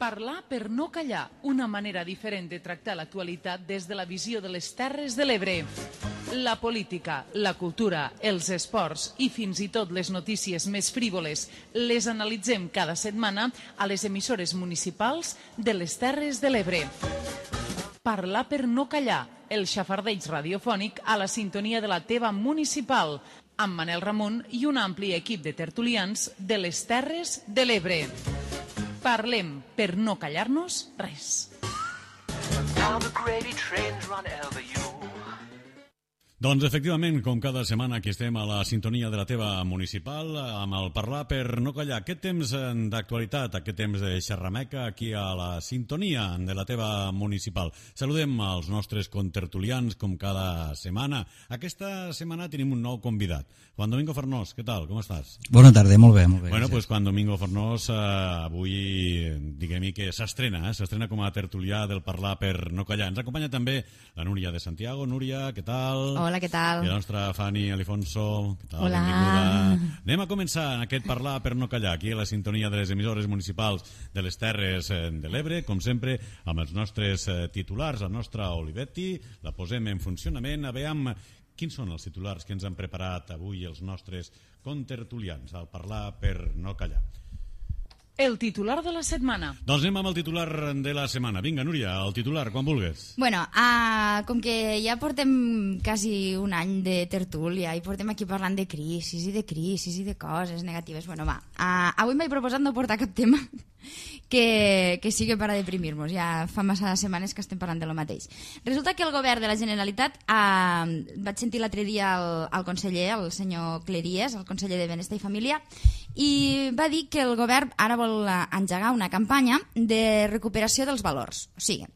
Parlar per no callar, una manera diferent de tractar l'actualitat des de la visió de les Terres de l'Ebre. La política, la cultura, els esports i fins i tot les notícies més frívoles les analitzem cada setmana a les emissores municipals de les Terres de l'Ebre. Parlar per no callar, el xafardeig radiofònic a la sintonia de la teva municipal, amb Manel Ramon i un ampli equip de tertulians de les Terres de l'Ebre. Parlem per no callar-nos res. Doncs efectivament, com cada setmana aquí estem a la sintonia de la teva municipal amb el Parlar per no callar. Aquest temps d'actualitat, aquest temps de xerrameca aquí a la sintonia de la teva municipal. Saludem als nostres contertulians com cada setmana. Aquesta setmana tenim un nou convidat. Juan Domingo Fornós, què tal? Com estàs? Bona tarda, molt bé. Bueno, pues Juan Domingo Fornós avui, diguem-hi que s'estrena com a tertulià del Parlar per no callar. Ens acompanya també la Núria de Santiago. Núria, què tal? Hola, què tal? I la nostra Fanny Alifonso. Què tal? Hola. Benvinguda. Anem a començar en aquest Parlar per no callar, aquí a la sintonia de les emissores municipals de les Terres de l'Ebre, com sempre, amb els nostres titulars, la nostra Olivetti, la posem en funcionament. A veure quins són els titulars que ens han preparat avui els nostres contertulians al Parlar per no callar. El titular de la setmana. Doncs anem amb el titular de la setmana. Vinga, Núria, el titular, quan vulgues. Bueno, com que ja portem quasi un any de tertúlia i portem aquí parlant de crisis i de coses negatives, bueno, va. Avui m'he proposat no portar cap tema que sigui per a deprimir-nos. Ja fa massa setmanes que estem parlant de lo mateix. Resulta que el govern de la Generalitat, vaig sentir l'altre dia el conseller, el senyor Cleries, el conseller de Benestar i Família, i va dir que el govern ara vol engegar una campanya de recuperació dels valors. O sigui,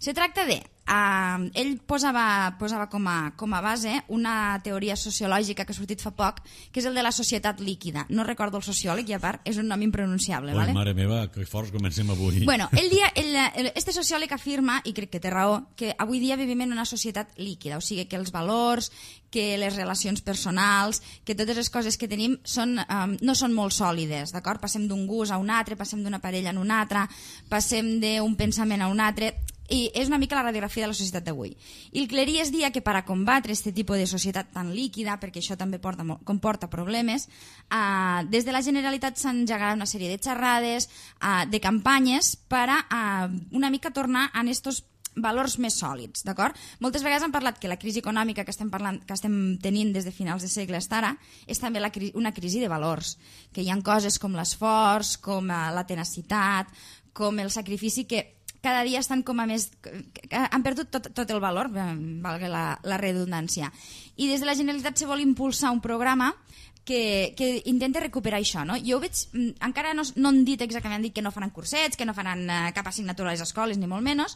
se tracta de... ell posava com a base una teoria sociològica que ha sortit fa poc, que és el de la societat líquida. No recordo el sociòleg i a part és un nom impronunciable. Oi, vale? mare meva, que forts comencem avui. Bueno, este sociòleg afirma, i crec que té raó, que avui dia vivim en una societat líquida, o sigui que els valors, que les relacions personals, que totes les coses que tenim no són molt sòlides, d'acord? Passem d'un gust a un altre, passem d'una parella a una altra, passem d'un pensament a un altre... I és una mica la radiografia de la societat d'avui. I el Cleries dia que per a combatre aquest tipus de societat tan líquida, perquè això també comporta problemes, des de la Generalitat s'han engegat una sèrie de xerrades, de campanyes per a una mica tornar a estos valors més sòlids, d'acord? Moltes vegades han parlat que la crisi econòmica que estem tenint des de finals de segle fins ara és també una crisi de valors, que hi ha coses com l'esforç, com la tenacitat, com el sacrifici que cada dia estan com a més... han perdut tot el valor, valga la redundància. I des de la Generalitat se vol impulsar un programa que intenta recuperar això, no? Jo ho veig, encara no han dit exactament, han dit que no faran cursets, que no faran cap assignatura a les escoles, ni molt menys,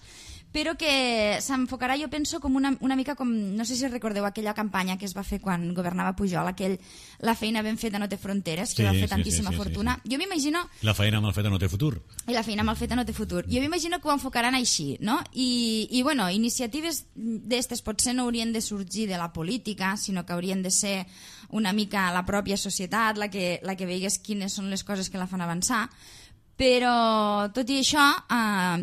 però que s'enfocarà, jo penso, com una mica com, no sé si recordeu aquella campanya que es va fer quan governava Pujol, la feina ben feta no té fronteres, que va fer tantíssima fortuna. Jo m'imagino... La feina mal feta no té futur. I la feina mal feta no té futur. Jo m'imagino que ho enfocaran així, no? I bueno, iniciatives d'estes potser no haurien de sorgir de la política, sinó que haurien de ser una mica la pròpia societat la que veigués quines són les coses que la fan avançar. Però, tot i això,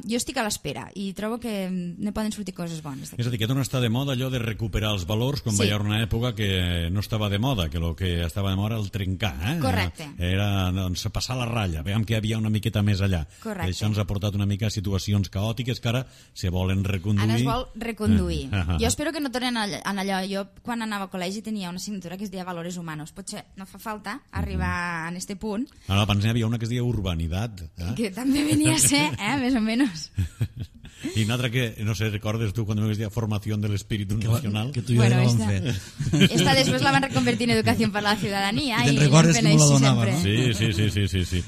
jo estic a l'espera i trobo que ne poden sortir coses bones. És a dir, que torna a estar de moda allò de recuperar els valors, quan va haver una època que no estava de moda, que el que estava de moda era el trencar. Correcte. Era passar la ratlla, veiem que hi havia una miqueta més allà. Correcte. Això ens ha portat una mica a situacions caòtiques que ara se volen reconduir. Ara es vol reconduir. Jo espero que no tornen en allò. Jo, quan anava a col·legi, tenia una assignatura que es deia Valores Humanos. Potser no fa falta arribar a este punt. Ara, abans n'hi havia una que es deia Urbanitat. Que també venia a ser, més o menys. I una altra que, no sé, recordes tu quan me decía Formación del Espíritu Nacional? Que tu i jo la vam fer. Esta després la van reconvertir en Educació per la Ciutadania. I te'n recordes que me la donava, no? Sí.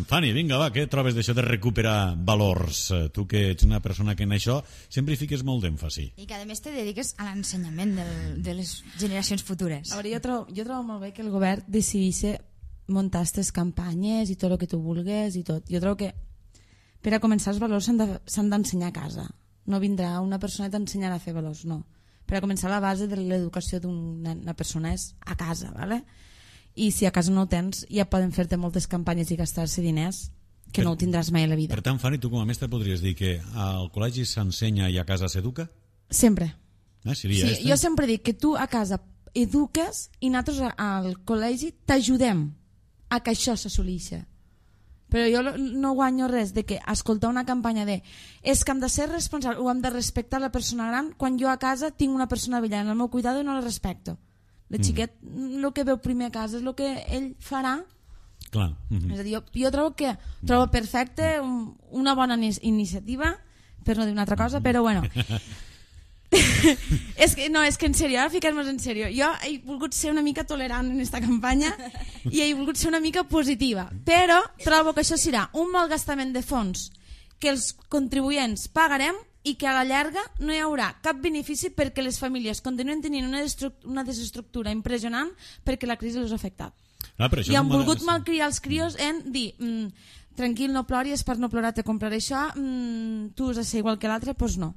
Fanny, vinga, va, què trobes d'això de recuperar valors? Tu que ets una persona que en això sempre hi fiques molt d'èmfasi. I que a més te dediques a l'ensenyament de les generacions futures. A veure, jo trobo molt bé que el govern decidís muntar aquestes campanyes i tot el que tu vulguis i tot. Jo trobo que per a començar els valors s'han d'ensenyar a casa. No vindrà una persona i t'ensenyarà a fer valors, no. Per a començar la base de l'educació d'una persona és a casa, ¿vale? I si a casa no ho tens ja poden fer-te moltes campanyes i gastar-se diners que no ho tindràs mai a la vida. Per tant, Fanny, tu com a mestre podries dir que al col·legi s'ensenya i a casa s'educa? Sempre. Seria sí, jo sempre dic que tu a casa eduques i nosaltres al col·legi t'ajudem a que això s'assoleixi. Però jo no guanyo res de que escoltar una campanya de és que hem de ser responsables o hem de respectar la persona gran quan jo a casa tinc una persona vella en el meu cuidado i no la respecto. El xiquet el que veu primer a casa és el que ell farà. Clar. És a dir, jo trobo perfecte una bona iniciativa, per no dir una altra cosa, però bueno. és que en sèrio, ara ficar-nos en sèrio, jo he volgut ser una mica tolerant en esta campanya i he volgut ser una mica positiva, però trobo que això serà un malgastament de fons que els contribuents pagarem i que a la llarga no hi haurà cap benefici perquè les famílies continuen tenint una desestructura impressionant perquè la crisi els ha afectat. I han volgut malcriar els crios en dir tranquil, no ploris, per no plorar te compraré això, tu has de ser igual que l'altre, doncs no.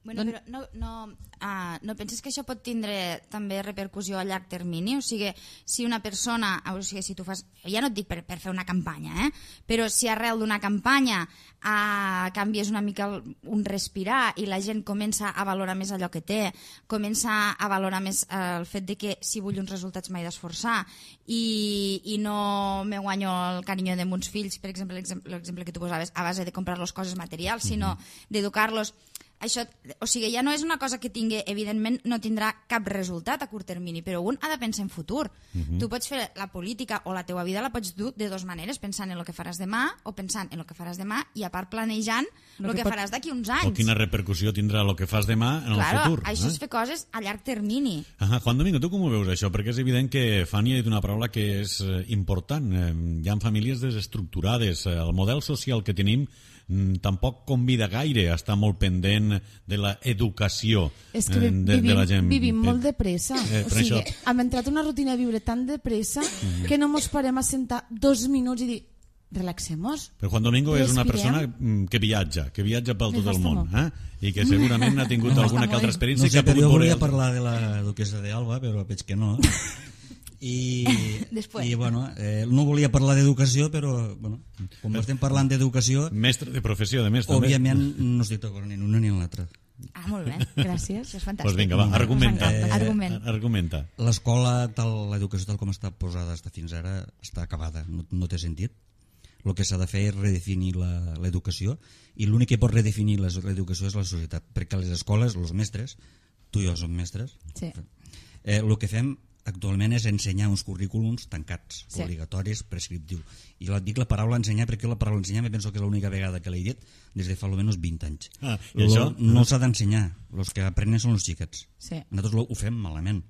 Bueno, però no penses que això pot tindre també repercussió a llarg termini? O sigui, si una persona, si tu fas, ja no et dic per fer una campanya, però si arrel d'una campanya canvies una mica un respirar i la gent comença a valorar més allò que té, comença a valorar més el fet de que si vull uns resultats m'he d'esforçar i no me guanyo el carinyo de meus fills, per exemple, l'exemple que tu posaves, a base de comprar-los coses materials, sinó d'educar-los. Això, o sigui, ja no és una cosa que tingui, evidentment no tindrà cap resultat a curt termini, però un ha de pensar en futur. Tu pots fer la política o la teua vida la pots dur de dues maneres, pensant en el que faràs demà o pensant en el que faràs demà i a part planejant el que faràs d'aquí uns anys. O quina repercussió tindrà el que fas demà en el futur. Això és fer coses a llarg termini. Juan Domingo, tu com ho veus això? Perquè és evident que Fanny ha dit una paraula que és important. Hi ha famílies desestructurades. El model social que tenim tampoc convida gaire a estar molt pendent de l'educació de la gent. Vivim molt de pressa. O sigui, hem entrat en una rutina de viure tan de pressa que no mos parem a sentar 2 minuts i dir relaxem-nos. Però Juan Domingo és una persona que viatja pel tot el món, i que segurament ha tingut alguna que altra experiència. No sé, però jo volia parlar de la duquesa d'Alba, però veig que no. I bueno, no volia parlar d'educació, però bueno, com estem parlant d'educació, mestre de professió, de mestre, òbviament no estic d'acord ni en una ni en l'altra. Molt bé, gràcies, això és fantàstic. Doncs vinga, va, argumenta. L'escola, l'educació tal com està posada fins ara, està acabada, no té sentit. El que s'ha de fer és redefinir l'educació, i l'únic que pot redefinir l'educació és la societat, perquè les escoles, els mestres, tu i jo som mestres, el que fem actualment és ensenyar uns currículums tancats, obligatoris, prescriptius. I dic la paraula ensenyar perquè la paraula ensenyar me penso que és l'única vegada que l'he dit des de fa almenys 20 anys. I això? No s'ha d'ensenyar, els que aprenen són els xiquets. Nosaltres ho fem malament,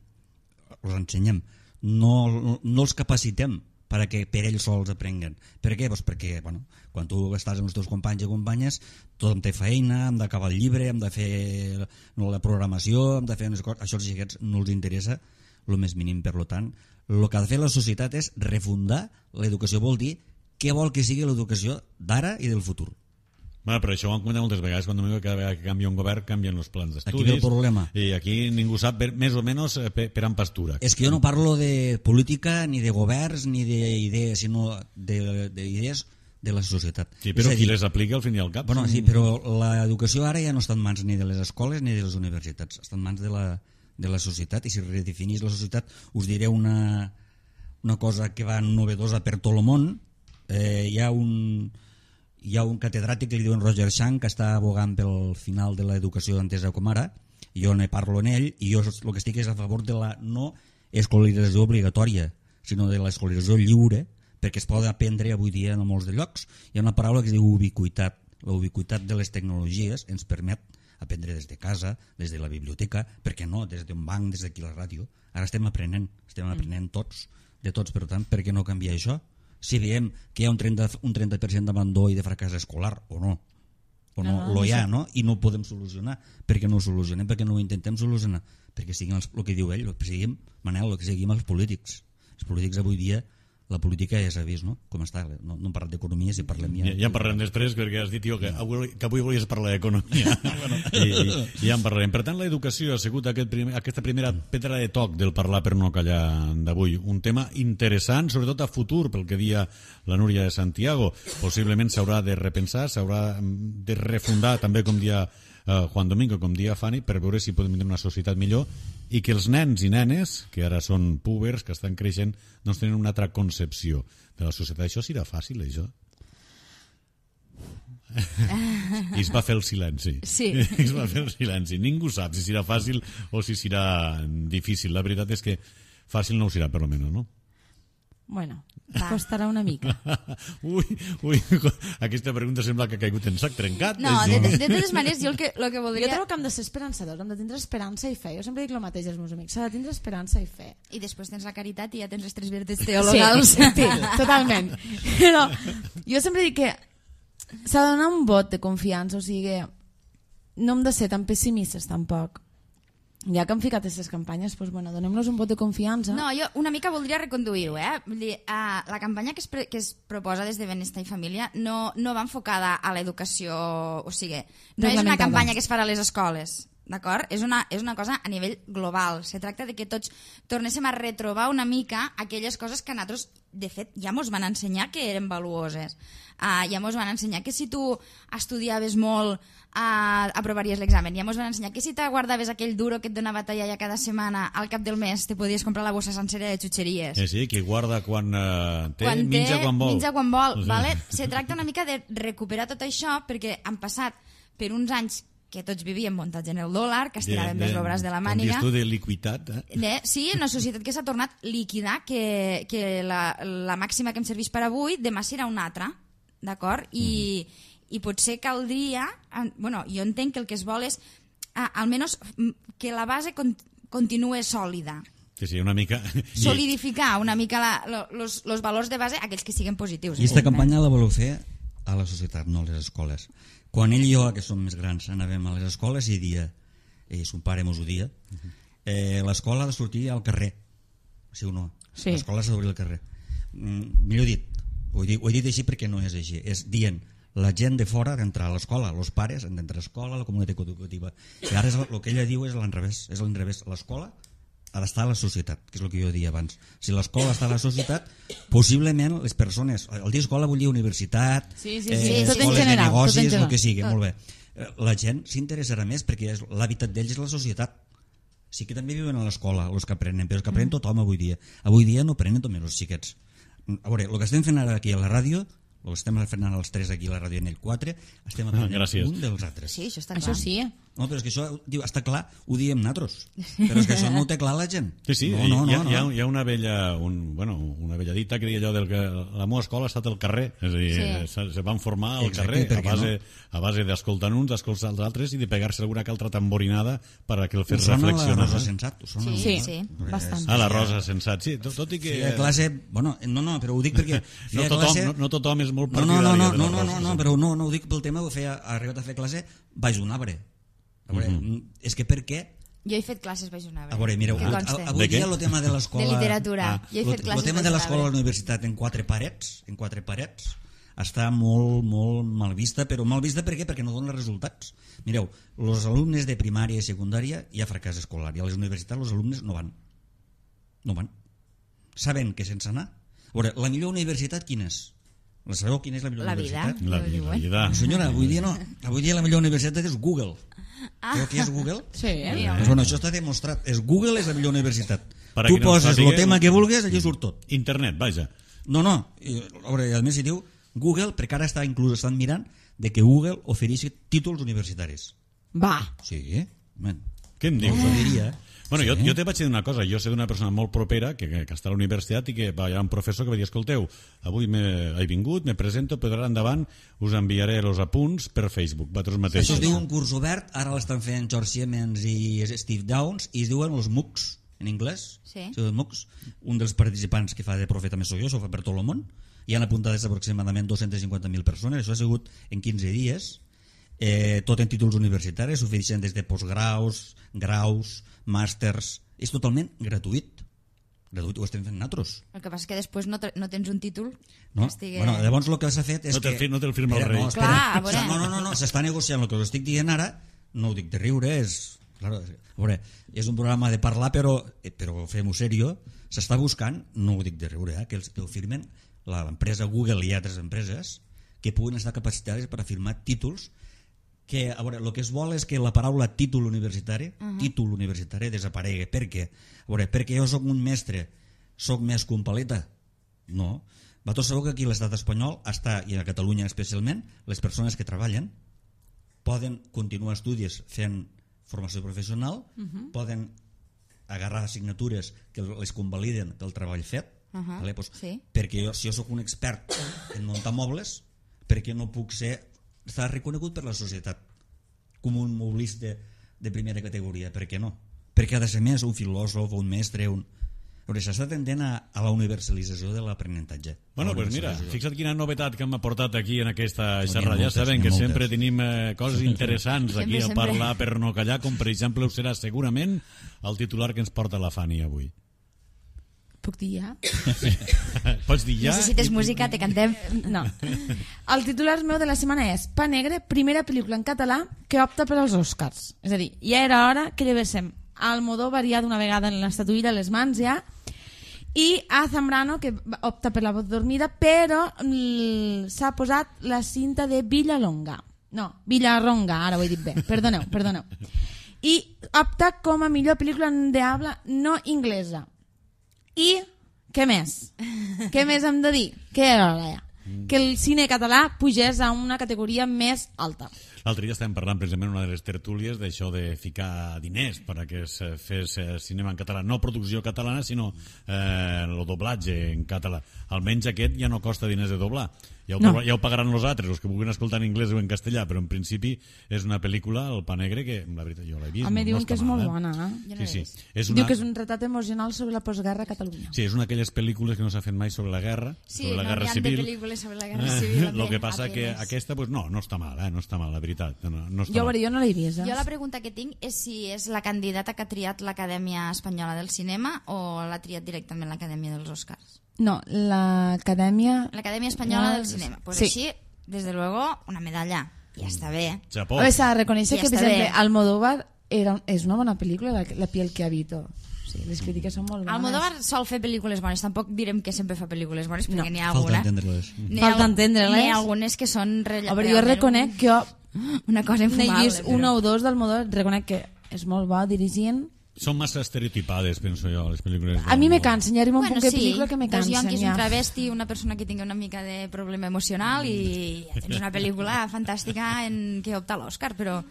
els ensenyem, no els capacitem perquè per ells sols aprenguen. Per què? Doncs perquè quan tu estàs amb els teus companys i companyes, tothom té feina, hem d'acabar el llibre, hem de fer la programació, hem de fer unes coses. Això als xiquets no els interessa el més mínim. Per tant, el que ha de fer la societat és refundar l'educació, vol dir què vol que sigui l'educació d'ara i del futur. Però això ho hem comentat moltes vegades, quan cada vegada que canvia un govern canvien els plans d'estudis. Aquí ve el problema. I aquí ningú sap més o menys per en pastura. És que jo no parlo de política, ni de governs, ni d'idees, sinó d'idees de la societat. Sí, però qui les aplica al fin i al cap? Bueno, sí, però l'educació ara ja no està en mans ni de les escoles ni de les universitats, està en mans de la societat, i si redefinís la societat us diré una cosa que va novedosa per tot el món. Hi ha un catedràtic que li diuen Roger Schank, que està abogant pel final de l'educació entesa com ara, i jo ne parlo en ell, i jo el que estic és a favor de la no escolarització obligatòria, sinó de l'escolarització lliure, perquè es pot aprendre avui dia en molts de llocs. Hi ha una paraula que es diu ubiquitat. La ubiquitat de les tecnologies ens permet aprendre des de casa, des de la biblioteca, per què no, des d'un banc, des d'aquí la ràdio. Ara estem aprenent tots, de tots. Per tant, per què no canviar això? Si veiem que hi ha un 30% d'abandó i de fracàs escolar, o no, hi ha, no? I no ho podem solucionar. Per què no ho solucionem? Per què no ho intentem solucionar? Perquè siguin el que diu ell, Manel, que siguin els polítics. Els polítics avui dia la política ja s'ha vist, no? Com està, no hem parlat d'economia, si parlem ja... Ja en parlarem després, perquè has dit, tio, que avui volies parlar d'economia. I ja en parlarem. Per tant, l'educació ha sigut aquesta primera pedra de toc del parlar per no callar d'avui. Un tema interessant, sobretot a futur, pel que dia la Núria de Santiago. Possiblement s'haurà de repensar, s'haurà de refundar, també com dia Juan Domingo, com dia Fanny, per veure si podem tenir una societat millor i que els nens i nenes, que ara són púbers, que estan creixent, doncs tenen una altra concepció de la societat. Això serà fàcil, això? I es va fer el silenci. Sí. Es va fer el silenci. Ningú sap si serà fàcil o si serà difícil. La veritat és que fàcil no ho serà, per almenys, no? Bueno, costarà una mica. Ui, aquesta pregunta sembla que ha caigut en sac trencat. No, de totes maneres, jo el que voldria... Jo trobo que hem de ser esperançadors, hem de tindre esperança i fe. Jo sempre dic el mateix als meus amics, s'ha de tindre esperança i fe. I després tens la caritat i ja tens les 3 virtuts teologals. Sí, totalment. Però jo sempre dic que s'ha de donar un vot de confiança, o sigui, no hem de ser tan pessimistes tampoc. Ja que hem ficat aquestes campanyes, doncs, bueno, donem-los un vot de confiança. No, jo una mica voldria reconduir-ho, Vull dir, la campanya que es proposa des de Benestar i Família no va enfocada a l'educació, o sigui, no és una campanya que es farà a les escoles, d'acord? És una cosa a nivell global. Se tracta de que tots tornéssim a retrobar una mica aquelles coses que a nosaltres, de fet, ja mos van ensenyar que eren valuoses. Ja mos van ensenyar que si tu estudiaves molt aprovaries l'examen. Ja mos van ensenyar que si te guardaves aquell duro que et donava talla cada setmana, al cap del mes te podies comprar la bossa sencera de xutxeries. Sí, qui guarda quan té, menja quan vol. Menja quan vol, vale? Se tracta una mica de recuperar tot això, perquè han passat per uns anys que tots vivíem muntats en el dòlar, que estiràvem més l'obres de la màniga. Com dius tu, de liquiditat. Sí, una societat que s'ha tornat líquida, que la màxima que em serveix per avui, demà serà una altra, d'acord? I potser caldria... Bueno, jo entenc que el que es vol és almenys que la base continue sòlida. Sí, una mica... Solidificar una mica els valors de base, aquells que siguin positius. I aquesta campanya la voleu fer a la societat, no a les escoles. Quan ell i jo, que som més grans, anàvem a les escoles i dia, son pare mos ho dia, l'escola ha de sortir al carrer, sí o no? Sí. L'escola s'ha d'obrir al carrer. Millor dit, ho he dit així perquè no és així, és dient la gent de fora d'entrar a l'escola, els pares han d'entrar a l'escola, a la comunitat educativa, i ara el que ella diu és l'inrevés, l'escola ha d'estar a la societat, que és el que jo deia abans. Si l'escola està a la societat, possiblement les persones... El dir escola vol dir universitat, escoles de negocis, el que sigui, molt bé. La gent s'interessarà més perquè l'hàbitat d'ells és la societat. Sí que també viuen a l'escola, els que aprenen, però els que aprenen tothom avui dia. Avui dia no aprenen només els xiquets. A veure, el que estem fent ara aquí a la ràdio, el que estem fent ara els 3 aquí a la ràdio en el 4, estem aprenent un dels altres. Sí, això està clar. Això sí. No, però és que això, diu, està clar, ho diem nosaltres. Però és que això no ho té clar la gent. Sí, no. Hi ha una vella dita que deia allò del que la meva escola ha estat al carrer, és a dir, se van formar al carrer a base d'escoltar uns, d'escoltar els altres i de pegar-se alguna que altra tamborinada per a que el fes reflexionar. La Rosa Sensat? Sí, bastant. La Rosa Sensat, sí, tot i que... Sí, a classe, bueno, no, però ho dic perquè... No tothom és molt partidari de la Rosa. No, però no ho dic pel tema, ha arribat a fer classe baix un arbre. A veure, és que per què? Jo he fet classes baix un arbre. A veure, mireu, avui dia el tema de l'escola... De literatura. Jo he fet classes el tema de l'escola a la universitat en quatre parets, està molt, molt mal vista, però mal vista per què? Perquè no dona resultats. Mireu, els alumnes de primària i secundària hi ha fracàs escolar, i a les universitats els alumnes no van. No van. Saben que sense anar... A veure, la millor universitat quina és? La sabeu quina és la millor universitat? La vida. Senyora, avui dia no. Avui dia la millor universitat és Google. Sabeu què és Google? Sí. Bueno, això està demostrat. Google és la millor universitat. Tu poses el tema que vulguis, allà surt tot. Internet, vaja. No. A veure, a més hi diu Google, perquè ara estan mirant de que Google ofereixi títols universitaris. Va. Sí, què em dius? Ho diria, Bueno, jo te vaig dir una cosa, jo sé d'una persona molt propera que està a la universitat i que hi ha un professor que va dir, escolteu, avui he vingut, me presento, però ara endavant us enviaré els apunts per Facebook, vosaltres mateixos. Això es diu un curs obert, ara l'estan fent George Siemens i Steve Downes, i es diuen els MOOCs, en anglès. Sí. MOOCs. Un dels participants que fa de profeta més soy jo, s'ho fa per tot el món, hi han apuntades aproximadament 250.000 persones, això ha sigut en 15 dies, tot en títols universitaris, s'ofereixen des de postgraus, graus, màsters, és totalment gratuït. Gratuït, ho estem fent nosaltres. El que passa és que després no tens un títol No? que estigui... Bueno, llavors el que s'ha fet és No que... no te'l firma el rei. No, espera. Clar, a veure. No, s'està negociant el que us estic dient ara, no ho dic de riure, és... Claro, a veure, és un programa de parlar, però fem-ho serio, s'està buscant, no ho dic de riure, que el firmen l'empresa Google i altres empreses que puguin estar capacitades per a firmar títols que, a veure, el que es vol és que la paraula títol universitari desaparegui. Per què? A veure, perquè jo soc un mestre, soc més que un paleta? No. Vosaltres sabeu que aquí a l'estat espanyol està, i a Catalunya especialment, les persones que treballen poden continuar estudis fent formació professional, poden agarrar assignatures que les convaliden del treball fet, vale? Pues, sí. Perquè si jo sóc un expert en muntar mobles, perquè no puc estar reconegut per la societat com un moblista de primera categoria? Per què no? Perquè ha de ser més un filòsof, un mestre, s'està tendent a la universalització de l'aprenentatge. Bueno, pues mira, fixa't quina novetat que hem aportat aquí en aquesta No, xerrada. Ja moltes, sabem que moltes. sempre tenim coses interessants aquí a Sempre. parlar per no callar, com per exemple ho serà segurament el titular que ens porta la Fanny avui. Puc dir ja? Pots dir ja? Necessites música, te cantem. No. El titular meu de la setmana és Pa Negre, primera pel·lícula en català que opta per als Oscars. És a dir, ja era hora que llevéssim Almodóvar ja d'una vegada en l'estatuïra a les mans ja, i a Zambrano, que opta per La voz dormida, però s'ha posat la cinta de Villalonga. No, Villarronga, ara ho he dit bé. Perdoneu. I opta com a millor pel·lícula de habla no inglesa. I què més? Què més hem de dir? Que era hora ja. Que el cine català pugés a una categoria més alta. L'altre dia estàvem parlant precisament en una de les tertúlies d'això de ficar diners perquè es fes cinema en català, no producció catalana sinó el doblatge en català. Almenys aquest ja no costa diners de doblar, ja ho pagaran els altres, els que vulguin escoltar en anglès o en castellà, però en principi és una pel·lícula, El Pa Negre, que la veritat jo l'he vist. Home, diuen que és molt mal, bona. Sí. Diu que és un retrat emocional sobre la postguerra a Catalunya. Sí, és una d'aquelles pel·lícules que no s'ha fet mai sobre la guerra, Sí, sobre la no guerra hi ha civil. de pel·lícules sobre la guerra civil. Lo que passa que aquesta, pues no està mal, no està mal, la veritat. No està mal. Jo no l'he vist. Jo la pregunta que tinc és si és la candidata que ha triat l'Acadèmia Espanyola del Cinema o l'ha triat directament l'Acadèmia dels Oscars. No, l'Acadèmia... L'Acadèmia Espanyola del Cinema. Pues sí. Així, desde luego, una medalla. Ja està bé. Chapó. A veure, s'ha de reconèixer Ja que, per està exemple, bé. Almodóvar és una bona pel·lícula, La piel que habito. Sí, les crítiques són molt bones. Almodóvar sol fer pel·lícules bones. Tampoc direm que sempre fa pel·lícules bones, perquè n'hi ha Falta alguna. entendre-les. Falta entendre-les. N'hi ha algunes que són A veure, jo reconec que jo una cosa n'he infumable. vist una o dos d'Almodóvar, reconec que és molt bo dirigint. Són massa estereotipades, penso jo, les pel·lícules. A mi me cansen, ja arriba un Bueno, punt que sí, pel·lícula que me dos cansen. ionquis, Ja. un travesti, una persona que tingui una mica de problema emocional i ja tens una pel·lícula fantàstica en què opta a l'Òscar, però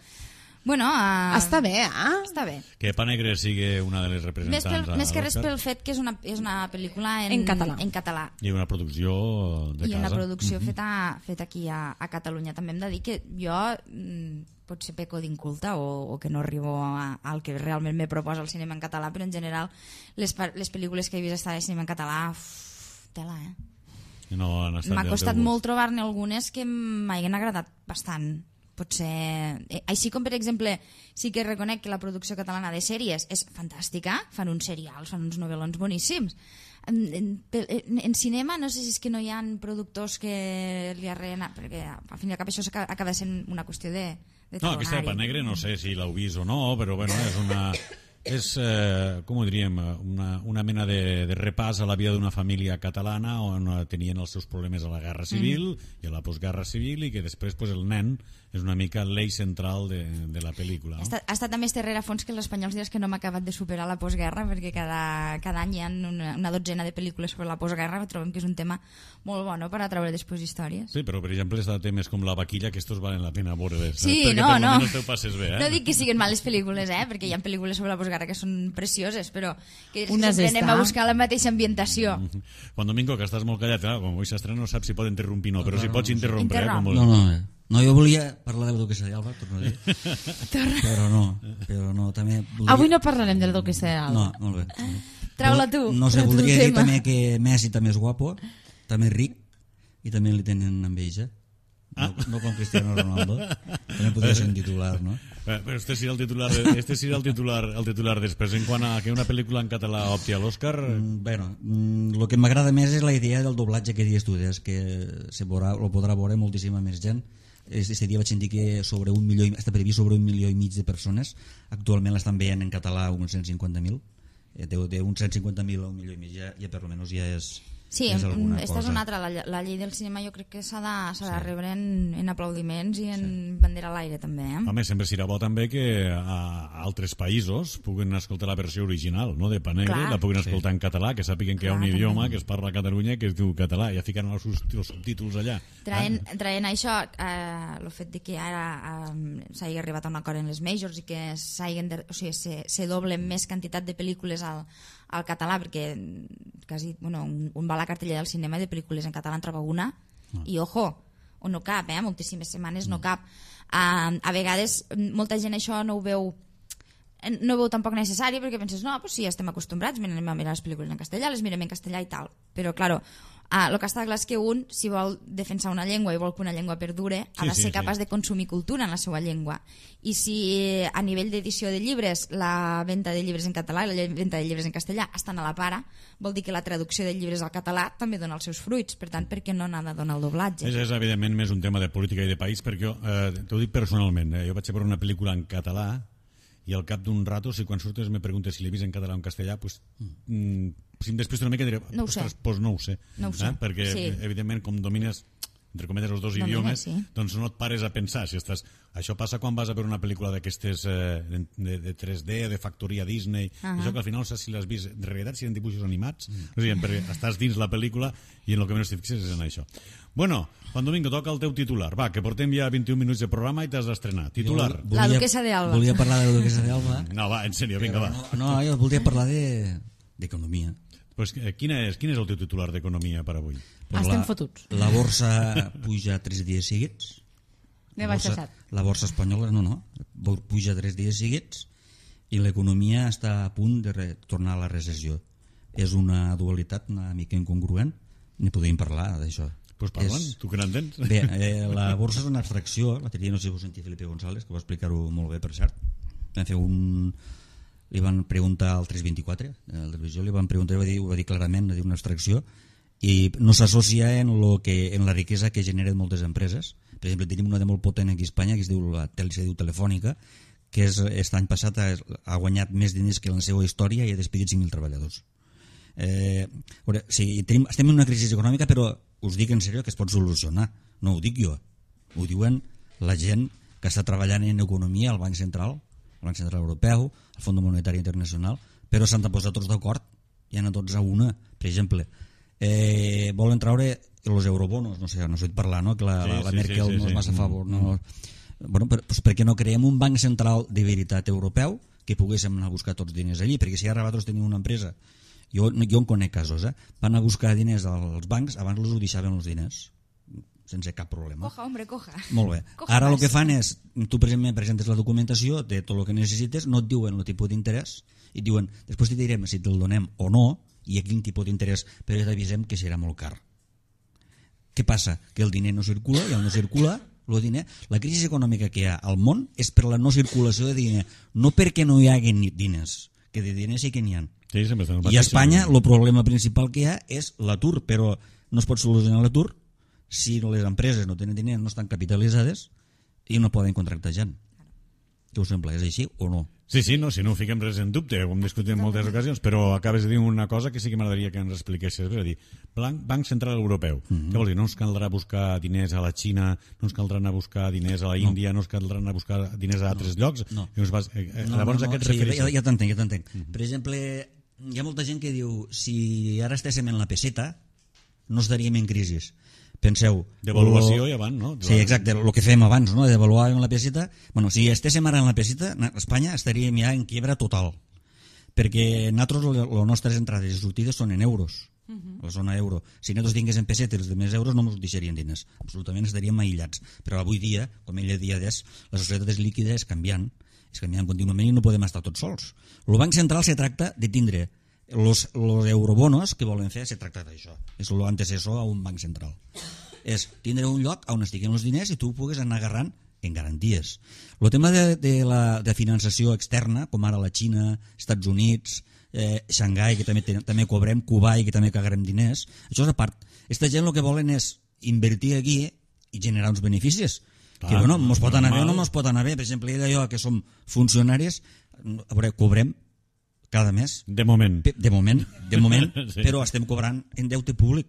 bueno... Està bé, Està bé. Que Pa Negre sigui una de les representants Més que res a l'Oscar. pel fet que és una pel·lícula En català. En català. I una producció de I casa. una producció feta aquí a Catalunya. També hem de dir que jo potser peco d'inculta o que no arribo al que realment me proposa el cinema en català, però en general les pel·lícules que he vist estar de cinema en català, tela, No han estat m'ha del costat teu gust. molt trobar-ne algunes que m'hagin agradat bastant. Potser... Així com, per exemple, sí que reconec que la producció catalana de sèries és fantàstica, fan uns serials, fan uns novel·lons boníssims. En cinema no sé si és que no hi ha productors que li arreen, perquè al fin i al cap això acaba sent una qüestió de No, aquesta de Pa Negre no sé si l'heu vist o no, però bueno, és com ho diríem, una mena de repàs a la vida d'una família catalana on tenien els seus problemes a la guerra civil i a la postguerra civil, i que després pues, el nen és una mica l'eix central de la pel·lícula. No? Ha estat a més darrere fons que els espanyols diràs que no hem acabat de superar la postguerra, perquè cada any hi ha una dotzena de pel·lícules sobre la postguerra. Trobem que és un tema molt bo, no?, per atraure després històries. Sí, però per exemple està temes com La vaquilla, que estos valen la pena veure-les. Sí, perquè no. per lo menos te ho passes bé, No dic que siguin males pel·lícules, perquè hi ha pel·lícules sobre la postguerra que són precioses, però que Unes sempre anem està. a buscar la mateixa ambientació. Juan Domingo, que estàs molt callat, com avui s'estrena no saps si pot interrompir o no, però si pots interrompre. Interromp. Com No, jo volia parlar de la duquesa d'Alba, torno a dir. Però no, també volia... Avui no parlarem del duquesa d'Alba. No, molt bé. Trau-la tu. No sé, el teu voldria dir tema. també que Messi també és guapo, també és ric, i també li tenen enveja. No com Cristiano Ronaldo. També podria ser un titular, no? Però este seria el titular després. En quant a que una pel·lícula en català opti a l'Òscar... Bueno, el que m'agrada més és la idea del doblatge que dius tu, és que lo podrà veure moltíssima més gent. Este dia vaig sentir que està previst sobre 1,5 milió de persones. Actualment l'estan veient en català uns 150.000. D'uns 150.000 a 1,5 milió ja per almenys ja és... Sí, alguna esta és cosa. una altra. La llei del cinema jo crec que s'ha de rebre en aplaudiments i en bandera a l'aire també. Home, sempre serà bo també que a altres països puguin escoltar la versió original, no?, de Panegre, Clar. la puguin escoltar en català, que sàpiguen que hi ha un Clar, idioma també. que es parla a Catalunya que es diu català, ja ficaran els subtítols allà. Traient això, el fet de que ara s'hagi arribat a un acord en les majors i que se doble més quantitat de pel·lícules al català, perquè quasi, un va a la cartellera del cinema de pel·lícules en català en troba una i ojo, o no cap, moltíssimes setmanes no cap. A vegades molta gent això no ho veu tampoc necessari, perquè penses, no, pues sí, ja estem acostumbrats, anem a mirar les pel·lícules en castellà, les mirem en castellà i tal, però claro, el que està clar és que un, si vol defensar una llengua i vol que una llengua perdure, ha de ser capaç de consumir cultura en la seva llengua. I si a nivell d'edició de llibres la venda de llibres en català i la venda de llibres en castellà estan a la para, vol dir que la traducció de llibres al català també dona els seus fruits. Per tant, per què no n'ha de donar el doblatge? És evidentment més un tema de política i de país, perquè jo t'ho dic personalment, jo vaig a veure una pel·lícula en català i al cap d'un rato, si quan surtes me preguntes si l'he vist en català o en castellà, pues, si després d'una mica diré, no ho sé. Pues no ho sé. Perquè sí. evidentment com domines entre cometes els dos idiomes, sí. doncs no et pares a pensar si estàs... Això passa quan vas a veure una pel·lícula d'aquestes de 3D, de factoria Disney, això que al final no saps si l'has vist en realitat, si eren dibuixos animats, o sigui, perquè estàs dins la pel·lícula i en el que menys t'hi fixes és en això. Bueno, Juan Domingo, toca el teu titular. Va, que portem ja 21 minuts de programa i t'has d'estrenar. Titular. La duquesa d'Alba. Volia parlar de la duquesa d'Alba. No, va, en sèrio, vinga, va. No, jo volia parlar d'economia. Pues, quin és el teu titular d'economia per avui? Pues estem fotuts. La borsa puja 3 dies seguits. Ne va cessat. La borsa espanyola, no, puja 3 dies seguits i l'economia està a punt de tornar a la recessió. És una dualitat una mica incongruent, ni podem parlar d'això. Pues parlant, tu que n'entens. Bé, la borsa és una abstracció, l'altre dia no sé si vos sentia Felipe González, que va explicar-ho molt bé, per cert. Van fer li van preguntar al 324, a la televisió, li van preguntar, va dir clarament, va dir una abstracció, i no s'associa en la riquesa que generen moltes empreses. Per exemple, tenim una de molt potent aquí a Espanya, que es diu Telefònica, que aquest any passat ha guanyat més diners que en la seva història i ha despedit 5.000 treballadors. Estem en una crisi econòmica, però us dic en sèrio que es pot solucionar. No ho dic jo, ho diuen la gent que està treballant en economia al Banc Central Europeu, al Fons Monetari Internacional, però s'han de posar tots d'acord i anar tots a una. Per exemple, volen traure els eurobonos, no sé, no he parlar, no? Que la Merkel no és massa a favor. No? Bueno, pues per què no creem un banc central de veritat europeu que poguéssim anar a buscar tots diners allí? Perquè si ara vosaltres teniu una empresa, jo en conec casos, van a buscar diners als bancs, abans els ho deixaven els diners sense cap problema. Coja, hombre, coja. Molt bé. Ara el que fan és, tu presentes la documentació de tot el que necessites, no et diuen el tipus d'interès, i et diuen, després te direm si te'l donem o no, i a quin tipus d'interès, però ja t'avisem que serà molt car. Què passa? Que el diner no circula, i al no circula, la crisi econòmica que hi ha al món és per la no circulació de diner, no perquè no hi hagi diners, que de diners sí que n'hi ha. Sí, i a Espanya el problema principal que hi ha és l'atur, però no es pot solucionar l'atur si les empreses no tenen diners, no estan capitalitzades i no poden contractar gent. Què us sembla? És així o no? Sí, no, si no ho fiquem res en dubte, ho hem discutit en moltes ocasions, però acabes de dir una cosa que sí que m'agradaria que ens expliquessis. És a dir, Banc Central Europeu. Què vols dir? No ens caldrà buscar diners a la Xina, no ens caldrà anar a buscar diners a la Índia, no ens caldrà anar a buscar diners a altres llocs? No. Llavors a què et refereixes? Ja t'entenc. Per exemple, hi ha molta gent que diu si ara estéssim en la peseta no estaríem en crisi. Penseu... Devaluació ja van, no? Sí, exacte, el que fèiem abans, no? Devaluàvem la peseta. Bueno, si estéssim ara en la peseta, Espanya estaríem ja en quiebra total. Perquè nosaltres, les nostres entrades i sortides són en euros, la zona euro. Si nosaltres tinguéssim pessetes de més euros no ens deixarien diners. Absolutament estaríem aïllats. Però avui dia, com ell dia d'és, la societat és líquida, és canviant contínuament i no podem estar tots sols. El Banc Central se tracta de tindre los eurobonos que volen fer, se tracta d'això. És l'antecessor a un banc central. És tindre un lloc on estiguen els diners i tu pugues anar agarrant en garanties. El tema de la finançació externa, com ara la Xina, Estats Units, Xangai, que també cobrem, Kuwait, que també cagarem diners, això és a part. Aquesta gent el que volen és invertir aquí i generar uns beneficis. Que bueno, mos pot anar bé o no mos pot anar bé. Per exemple, jo que som funcionaris, a veure, cobrem cada mes. De moment. De moment, Sí. però estem cobrant en deute públic.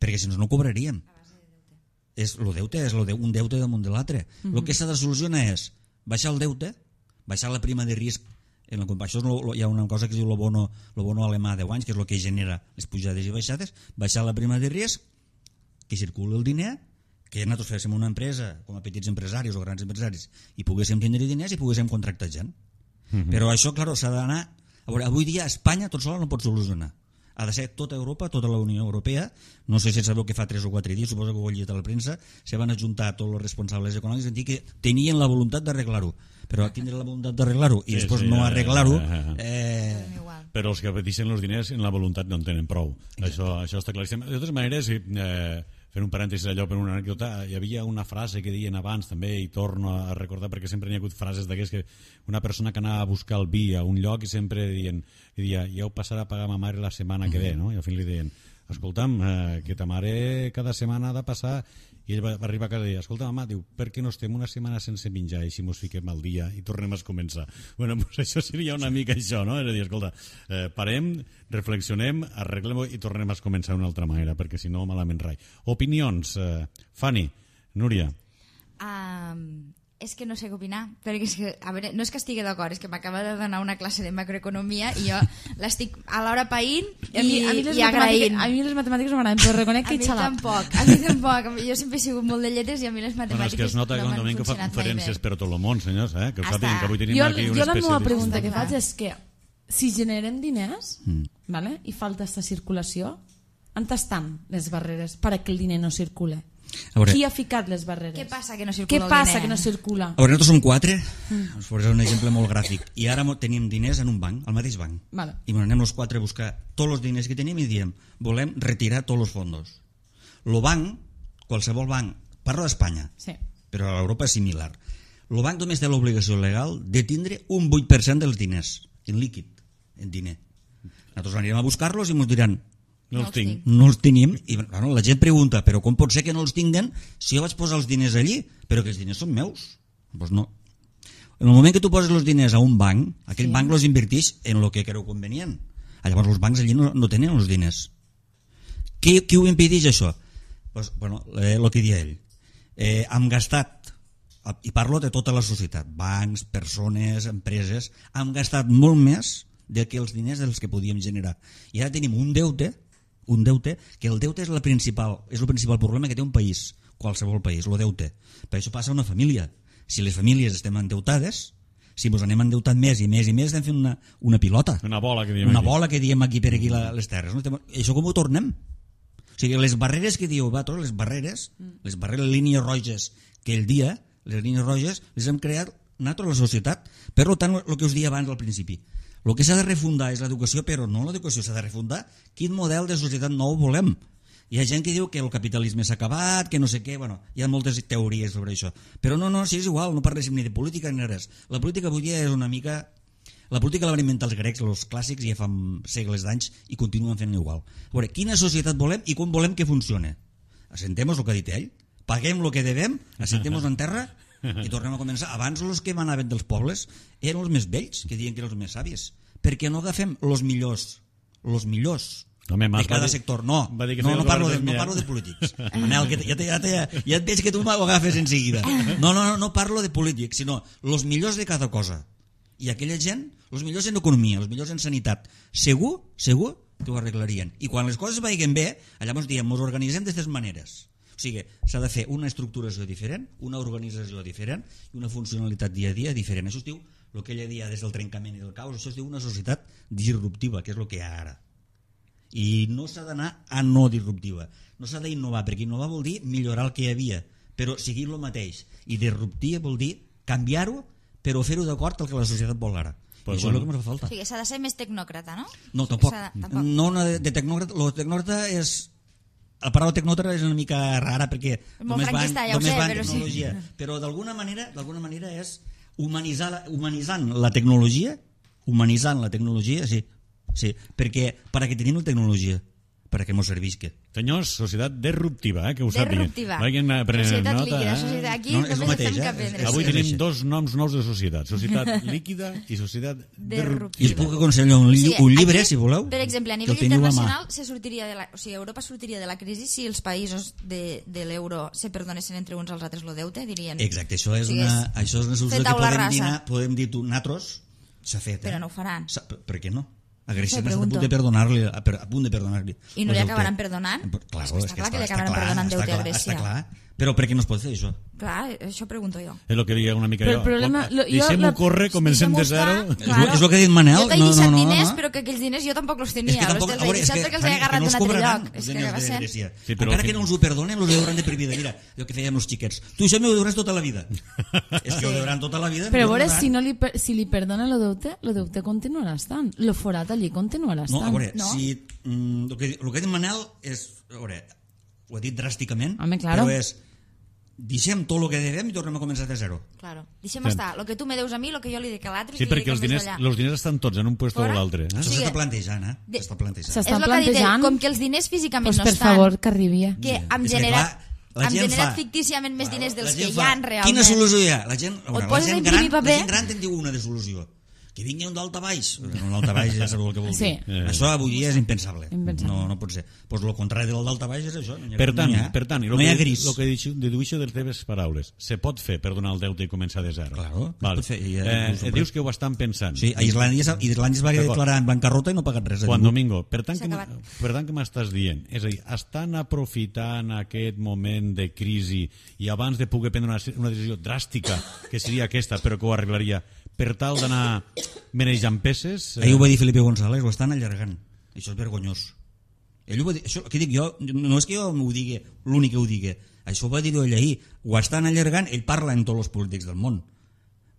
Perquè si no cobraríem. El deute és un deute damunt de l'altre. El que s'ha de solucionar és baixar el deute, baixar la prima de risc. En això hi ha una cosa que es diu el bono alemà de 10 anys, que és el que genera les pujades i baixades, baixar la prima de risc, que circuli el diner, que nosaltres féssim una empresa com a petits empresaris o grans empresaris i poguéssim tindre diners i poguéssim contractar gent. Però això, clar, s'ha d'anar... A veure, avui dia Espanya tot sola no pot solucionar. Ha de ser tota Europa, tota la Unió Europea. No sé si sabeu que fa 3 o 4 dies, suposo que ho heu llegit a la premsa, se van ajuntar tots els responsables econòmics i dir que tenien la voluntat d'arreglar-ho. Però tindre la voluntat d'arreglar-ho i després no arreglar-ho... Però els que peteixen els diners en la voluntat no en tenen prou. Això està claríssim. De totes maneres, fent un parèntesi allò per una anècdota, hi havia una frase que deien abans també, i torno a recordar perquè sempre n'hi ha hagut frases d'aquestes, que una persona que anava a buscar el vi a un lloc i sempre deia, ja ho passarà a pagar ma mare la setmana que ve, no? I al final li deien, escolta'm, que ta mare cada setmana ha de passar, i ell va arribar cada dia, escolta mama, diu, per què no estem una setmana sense menjar i si mos fiquem al dia i tornem a començar? Bueno, pues això seria una mica això, no? És a dir, escolta, parem, reflexionem, arreglem i tornem a començar d'una altra manera, perquè si no, malament rai. Opinions, Fanny, Núria. És que no sé què opinar, perquè és que, a veure, no és que estigui d'acord, és que m'acaba de donar una classe de macroeconomia i jo l'estic alhora païnt i agraint. A mi les matemàtiques no m'agraden, però reconec que a mi tampoc. Jo sempre he sigut molt de lletres i a mi les matemàtiques és que es nota que un que fa conferències per tot el món, senyors, que ho sàpiguen, que avui tenim aquí un especialista. Jo la meva pregunta que Està faig és que si generem diners vale, i falta aquesta circulació, on estan les barreres perquè el diner no circule? Qui ha ficat les barreres? Què passa que no circula Què el passa diner? que no circula? A veure, nosaltres som 4, us posaré un exemple molt gràfic, i ara tenim diners en un banc, al mateix banc, Vale. i anem els 4 a buscar tots els diners que tenim i diem, volem retirar tots els fondos. El banc, qualsevol banc, parlo d'Espanya, Sí. però a Europa és similar, el banc només té l'obligació legal de tindre un 8% dels diners, en líquid, en diner. Nosaltres anirem a buscar-los i ens diran, No els tinc. no els tenim, i bueno, la gent pregunta, però com pot ser que no els tinguen si jo vaig posar els diners allí, però que els diners són meus? Doncs no. En el moment que tu poses els diners a un banc, aquell banc els inverteix en el que creu convenient. Llavors els bancs allí no tenen els diners. Qui ho impedeix això? Pues, bueno, el que dia ell. Hem gastat, i parlo de tota la societat, bancs, persones, empreses, hem gastat molt més que els diners dels que podíem generar. I ara tenim un deute, que el deute és el principal problema que té un país, qualsevol país, el deute. Per això passa una família. Si les famílies estem endeutades, si ens anem endeutant més i més i més, estem fent una pilota. Una bola que diem una aquí. bola que diem aquí per aquí les terres. No? Això com ho tornem? O sigui, les barreres que diu Batos, les barreres, línies roges que el dia, les línies roges, les hem creat nosaltres, la societat. Per tant, el que us deia abans al principi, el que s'ha de refundar és l'educació, però no l'educació s'ha de refundar. Quin model de societat nou volem? Hi ha gent que diu que el capitalisme s'ha acabat, que no sé què, bueno, hi ha moltes teories sobre això. Però no, si és igual, no parléssim ni de política ni res. La política avui dia és una mica... La política la van inventar els grecs, els clàssics, ja fa segles d'anys i continuen fent igual. A veure, quina societat volem i com volem que funcione? Assentem-nos el que ha dit ell, paguem el que devem, assentem-nos en terra i tornem a començar. Abans els que manaven dels pobles eren els més vells, que diuen que eren els més sàvies. Per què no agafem els millors Home, de cada sector? No parlo de polítics. Manel, que ja et veig que tu m'ho agafes en seguida. No parlo de polítics, sinó els millors de cada cosa. I aquella gent, els millors en economia, els millors en sanitat, segur que ho arreglarien. I quan les coses vagin bé, llavors diem, ens organitzem d'aquestes maneres. O sigui, s'ha de fer una estructuració diferent, una organització diferent i una funcionalitat dia a dia diferent. Això es diu, el que ella deia des del trencament i del caos, això es diu una societat disruptiva, que és el que hi ha ara. I no s'ha d'anar a no disruptiva. No s'ha d'innovar, perquè innovar vol dir millorar el que hi havia, però seguir el mateix. I disruptiva vol dir canviar-ho, però fer-ho d'acord al que la societat vol ara. Pues això és el que ens fa falta. O sigui, s'ha de ser més tecnòcrata, no? No, tampoc. No, de tecnòcrata, el tecnòcrata és la paraula tecnòcrata és una mica rara perquè Molt només va franquista, ja ho només sé, va en però sí. tecnologia. Però d'alguna manera és humanitzant la tecnologia, sí, perquè para que tenim la tecnologia, para que mos servisca. Senyors, societat disruptiva, que ho sàpiguen. Disruptiva. Vagin prenent Societat nota. líquida, societat... Aquí No, és el només mateix, estem que eh? aprendre. Avui Sí. tenim dos noms nous de societat. Societat líquida i societat I us puc aconsellar un llibre, aquí, si voleu. Per exemple, a que nivell el teniu a mà. internacional se sortiria Europa sortiria de la crisi si els països de l'euro se perdonessin entre uns als altres el deute, dirien. Exacte, això és O sigui, una solució fer que taula podem rasa. dir natros, s'ha fet. Però no ho faran. Per què no? A Grècia Això n'està a pregunto. punt de perdonar-li. A punt de perdonar-li. I no li acabaran perdonant? Clar, És que està clar que li acabaran perdonant deute a Grècia. Està clar. Però per què no es pot fer això? Clar, això pregunto jo. És el que deia una mica Però jo. el problema- Deixem-ho córrer, comencem de zero. És el que ha dit Manel. Jo t'he deixat diners, però que aquells diners jo tampoc els tenia. És que tampoc, Els a veure, he deixat perquè els he agarrat d'un altre lloc. És que va ser... Sí, però encara que no ens ho perdonen, els hauran de per vida. Mira, el que fèiem els xiquets. Tu això m'ho deuràs tota la vida. És que ho deuran tota la vida. Però a no veure, perdonaran. si li perdona el deute continuarà estant. El forat allí continuarà estant. No, a veure, No? si el que ha dit Manel és, a veure, ho ha dit dràsticament, Home, claro. però és deixem tot el que devem i tornem a començar de zero. Claro. Deixem estar. El que tu me deus a mi, el que jo li dic a l'altre... Sí, perquè els diners estan tots en un puesto o Fora. l'altre. Això sigui, s'està plantejant, de- S'està plantejant. S'està És el que ha dit ell, plantejant. com que els diners físicament Pues no per estan, favor, que arribi. que hem És que, generat, clar, la hem gent generat fa- fictíciament més diners dels La gent que hi fa- ha realment. Quina solució hi ha? La gent, a veure, la poses a gent imprimir paper. la gent gran te'n diu una de solució. Que vingui un daltabaix. Un daltabaix ja sabeu el que vol dir. Sí. Això avui dia és impensable. Impensable. No pot ser. Pues el contrari del daltabaix és això. No hi ha, Per tant, no hi ha, per tant, no hi ha gris. el que deduixo de les teves paraules, se pot fer perdonar el deute i començar de zero. Claro, es Vale. pot fer, i ja Dius que ho estan pensant. Sí, a Islàndia es va declarar en bancarrota i no ha pagat res. Juan Domingo, per tant, S'ha acabat. que m'estàs dient? És a dir, estan aprofitant aquest moment de crisi i abans de poder prendre una decisió dràstica, que seria aquesta, però que ho arreglaria, per tal d'anar menejant peces... Ahir ho va dir Felipe González, ho estan allargant. Això és vergonyós. Ell ho va dir, això, què dic jo? No és que jo ho digui, l'únic que ho digui. Això ho va dir ell ahir. Ho estan allargant, ell parla en tots els polítics del món.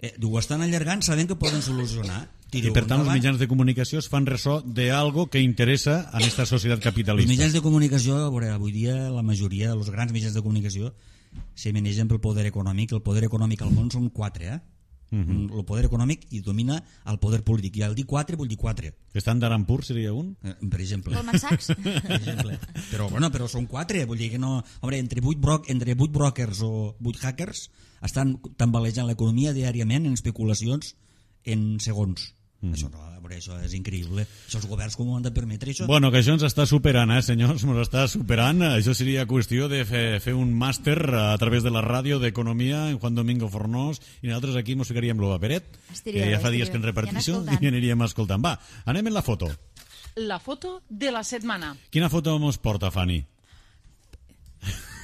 Ho estan allargant sabent que poden solucionar. I per tant els mitjans de comunicació es fan ressò d'algo que interessa a aquesta societat Els capitalista. mitjans de comunicació, a veure, avui dia la majoria dels grans mitjans de comunicació se manegen pel poder econòmic. El poder econòmic al món són 4, El poder econòmic i domina el poder polític. I al dir 4 vull dir 4. Estàndard and Poor's seria un? Per exemple. Goldman Sachs? Per exemple. Però són 4, vull dir que no... Home, entre 8 brokers o 8 hackers estan tambalejant l'economia diàriament en especulacions en segons. Això no, a veure, això és increïble. Això els governs com ho han de permetre, això? Bueno, que això ens està superant, senyors, ens està superant. Això seria qüestió de fer un màster a través de la ràdio d'Economia en Juan Domingo Fornós i nosaltres aquí mos ficaríem lo paperet, que ja fa dies que en repartixo i aniríem escoltant. Va, anem en la foto. La foto de la setmana. Quina foto mos porta, Fanny?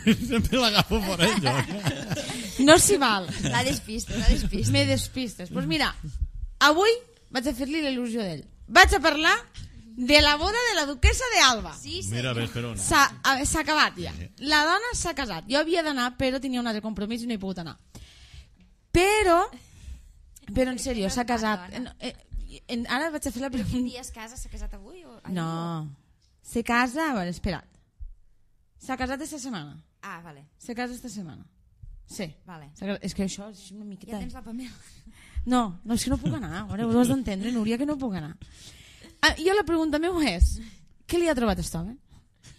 Sempre l'agafo por ello. No s'hi val. La despistes. Me despistes. Doncs mira, avui vaig a fer-li la il·lusió d'ell. Vaig a parlar de la boda de la duquesa d'Alba. Sí, Mira, ves per on. S'ha acabat ja. La dona s'ha casat. Jo havia d'anar, però tenia un altre compromís i no he pogut anar. Però en sèrio, s'ha casat. Ara vaig a fer la Quin pregunta. dia es casa? S'ha casat avui? No. Se casa... A veure, espera't. S'ha casat esta setmana. Ah, vale. Se casa esta setmana. Sí. Vale. És que això és una miqueta... Ja tens la Pamela. No, és que no puc anar. Ara ho has d'entendre, Núria, que no puc anar. Jo la pregunta meva és, què li ha trobat aquest home?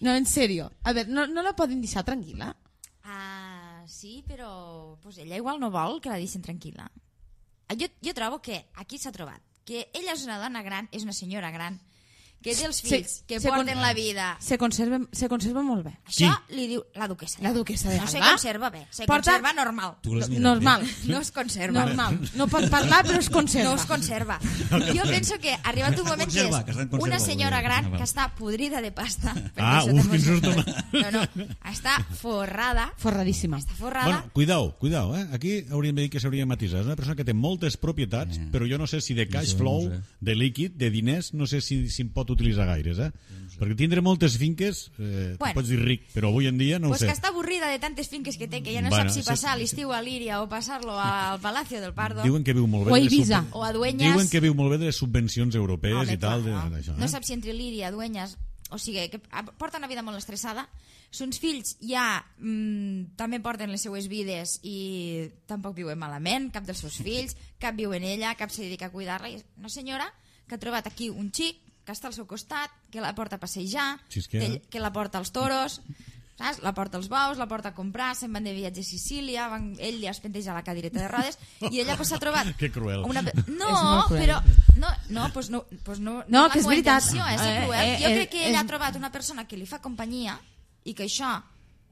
No, en sèrio. A veure, no la poden deixar tranquil·la? Ah, sí, però pues ella igual no vol que la deixin tranquil·la. Jo trobo que aquí s'ha trobat que ella és una dona gran, és una senyora gran, que té els fills, que porten la vida. Se conserva molt bé. Això li diu la duquesa. La duquesa d'Alba? No se conserva bé, se Porta- conserva normal. Tu l'has mirat Normal. bé? No es conserva. Normal. No pot parlar, però es conserva. No es conserva. Jo penso que ha arribat un moment que conserva, que està en és conserva, una senyora vol dir. gran Ah, val. que està podrida de pasta. Ah, perquè uf, quin susto. No, està forrada. Forradíssima. Està forrada. Bueno, cuidao, Aquí hauríem de dir que s'hauria de matisar. És una persona que té moltes propietats, però jo no sé si de cash Això flow, no sé. de líquid, de diners, no sé si en pot utilitzar gaires, Perquè tindre moltes finques, Bueno. pots dir ric, però avui en dia no Pues ho que sé. està avorrida de tantes finques que té, que ja no Bueno, sap si sí, passar sí. l'estiu a Líria o passar-lo al Palacio del Pardo. Diuen que viu molt bé O a de les Ibiza. O a Dueñas. Diuen que viu molt bé de les subvencions europees Home, i tal, clar, d'això. no sap si entre Líria, Dueñas... o sigui, que porta una vida molt estressada, sons fills ja també porten les seues vides i tampoc viuen malament, cap dels seus fills, cap viu en ella, cap se dedica a cuidar-la, i una senyora que ha trobat aquí un xic que està al seu costat, que la porta a passejar, que la porta als toros, saps? La porta als bous, la porta a comprar, se'n van de viatge a Sicília, ell li es penteja la cadireta de rodes i ella s'ha trobat... Que cruel. No, però... No, que és veritat. És cruel. Jo crec que ella ha trobat una persona que li fa companyia i que això